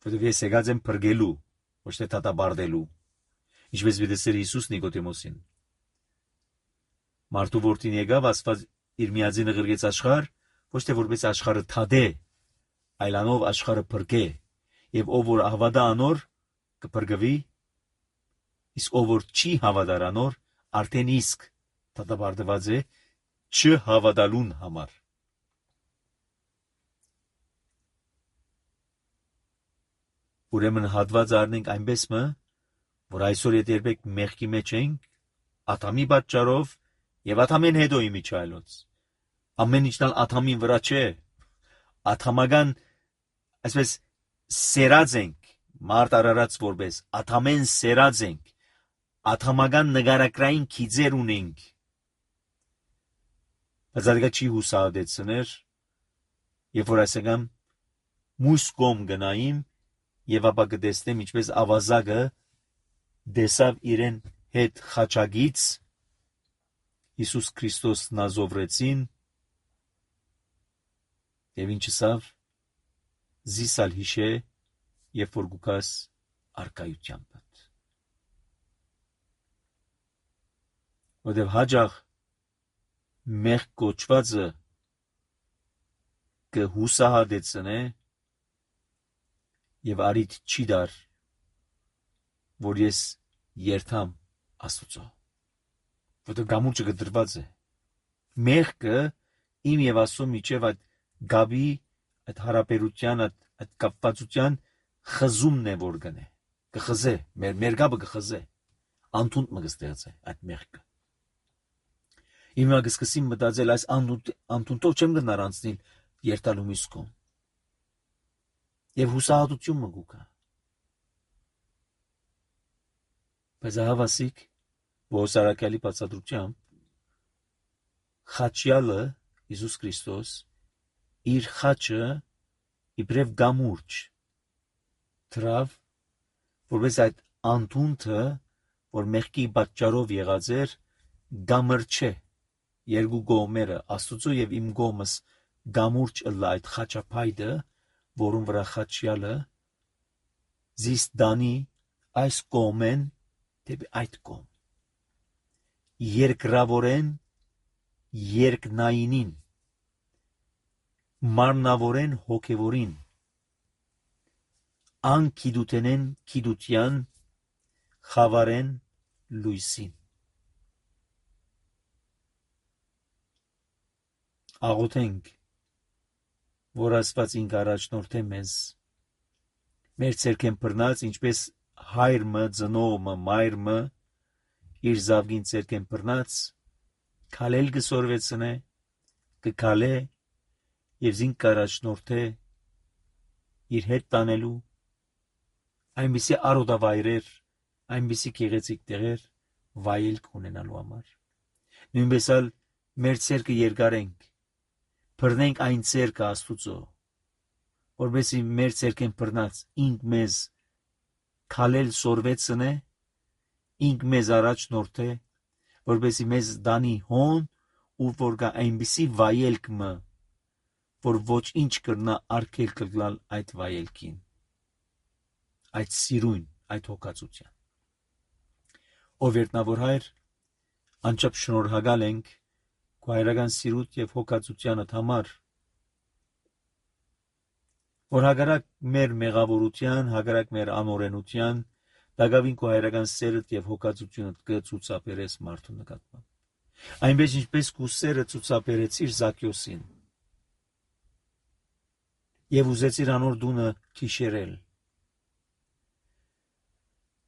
A: որովհետև ես եկած եմ փրկելու, ոչ թե դատաբարդելու։ Ինչպես վիդեսեր Հիսուս Նիկոդեմոսին։ Մարդու որդին եկավ, Աստված իր միածինը ղրկեց աշխարհ, ոչ թե որպես աշխարհը թադե, այլ անով աշխարհը փրկե, եւ ով որ հավատա անոր կփրկվի, իսկ ով որ չի հավատար անոր, արդեն իսկ դատաբարդված է չհավատալուն համար։ Ուրեմն հատված առնենք այնպես մը, որ այսօր եթե երբեք մեղքի մեջ ենք, աթամի պատճառով եւ աթամեն հետո իմիջայլոց։ Ամեն ինչն աթամին վրա չէ, աթամական, այսպես սերած ենք, մարդ արարած որպես, աթամեն սերած ենք, աթամական նգարակրային քիծեր ունենք։ Բայց դա չի հուսահատեցներ, երբ որ այսքան մույս կողմ գնայիմ եւ ապա կտեսնեմ ինչպես ավազակը դեսավ իրեն հետ խաչագից Հիսուս Քրիստոս նազովրեցին եւ ինչսավ զիսալ հիշե երբ որ գուկաս արկայությամբ որտեւ հաջող մեղ կոչվածը կհուսահատեցնե եւ արիթ չի դար որ ես երթամ Աստուծո որտեղ գամուրջը գդրված է մեղքը իմ եւ Աստծո միջև այդ գաբի այդ հարաբերության այդ կապվածության խզումն է որ գնե կխզե մեր գաբը կխզե անտունդ մը կստեղծե այդ մեղքը իմ կսկսեմ մտածել այս անտունտով չեմ գնար անցնել երթալու միսկոն եւ հուսահատություն մը գուկա բայց հավասիկ Բոսարակալի բացատրությամբ խաչյալը Հիսուս Քրիստոս իր խաչը իբրև գամուրջ դրավ որպես այդ անտունտը որ մեղքի պատճառով եղած էր գամրջե երկու կողմերը Աստուծո եւ իմ կողմս գամուրջ ըլլա այդ խաչապայդը որում վրա խաչյալը զիս դանի այս կողմեն դեպի այդ կողմ երկրավորեն երկնայինին մարմնավորեն հոգևորին անկիդութենեն կիդության խավարեն լույսին աղոթենք որ Աստված ինք առաջնորդե մեզ մեր ցերքեն բռնած ինչպես հայրը ծնողը մայրը իր զավգին ցերքեն բռնած քալել գսորվեցնե կքալե եւ զինք առաջնորդե իր հետ տանելու այնպիսի արոդավայրեր այնպիսի գեղեցիկ տեղեր վայելք ունենալու համար նույնպես էլ մեր ցերքը երկարենք բռնենք այն ցերքը Աստուծո որովհետեւ մեր ցերքեն բռնած ինք մեզ քալել սորվեցնե ինք մեզ առաջնորդե որովհետեւ մեզ դանի հոն ու որ կա այնպիսի վայելք մը որ ոչ ինչ կրնա արկել կգլալ այդ վայելքին այդ սիրուն այդ հոգացության ով երտնավոր հայր անչափ շնորհակալ ենք քո հայրական սիրուտ եւ հոգացությանդ համար որ հագարակ մեր մեղավորության հագարակ մեր անօրենության դակավին քո հայրական սերդ եւ հոգացությունդ կցուցաբերես մարդու նկատմամբ այնպես ինչպես քո սերը ցուցաբերեցիր Զաքյոսին եւ ուզեցիր անոր դունը քիշերել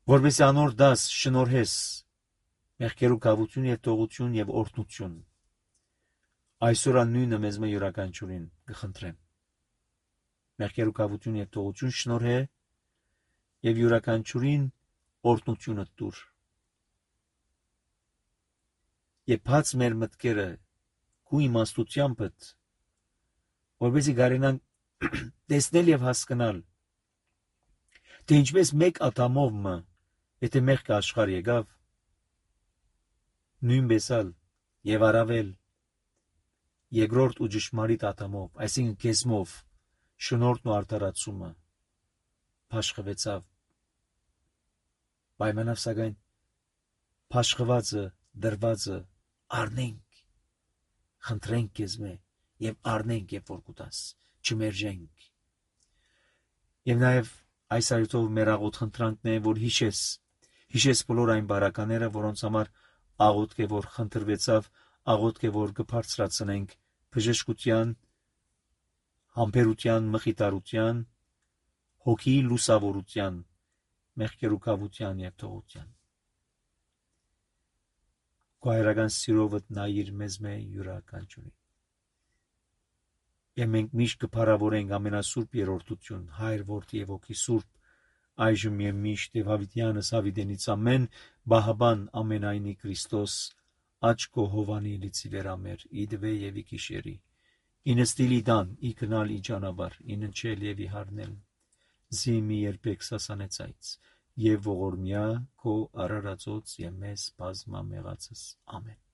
A: որպեսզի անոր դաս շնորհես մեղքերու կավություն եւ տողություն եւ օրհնություն։ Այսօր նույնը մեզ մը յուրաքանչյուրին կխնդրեմ։ Մեղքերու կավություն եւ տողություն շնորհե եւ յուրաքանչյուրին օրհնությունը տուր։ Եվ բաց մեր մտքերը քու իմաստությամբ, որպեսզի կարենանք տեսնել եւ հասկանալ, թե ինչպես մեկ ատամով մը, եթե մեղքը աշխարհ եկավ, նույնպես ալ եւ առավել երկրորդ ու ճշմարիտ ատամով, այսինքն կեսմով, շնորհն ու արդարացումը փաշխվեցավ։ Պայմանավ սակայն փաշխվածը, դրվածը առնենք, խնդրենք քեզմե եւ առնենք, երբ որ կուտաս, չմերժենք։ Եվ նաեւ այս այցով մեր աղոտ խնդրանքն է, որ հիշես բոլոր այն բարակաները, որոնց համար աղոթք է, որ խնդրվեցավ, աղոթք է, որ կբարձրացնենք բժշկության, համբերության, մխիթարության, հոգի լուսավորության, մեղքերուկավության եւ թողության։ Քո հայրական սիրովդ նայիր մեզ մե յուրաքանչյուրին։ Եվ մենք միշտ կփառավորենք ամենասուրբ երրորդություն, Հայր, Որդի եւ Հոգի Սուրբ, այժմ եւ միշտ եւ հավիտյանս հավիտենից ամեն, Բահաբան ամենայնի Քրիստոս, աչքո հովանի լիցի վերամեր, իդվե եւ իքիշերի, ինստիլի դան, իքնալ իջանաբար, իննչել եւ իհարնել, զիմի երբեք սասանեցայց, եւ ողորմյա քո արարածոց եւ մեզ բազմամեղացս, ամեն։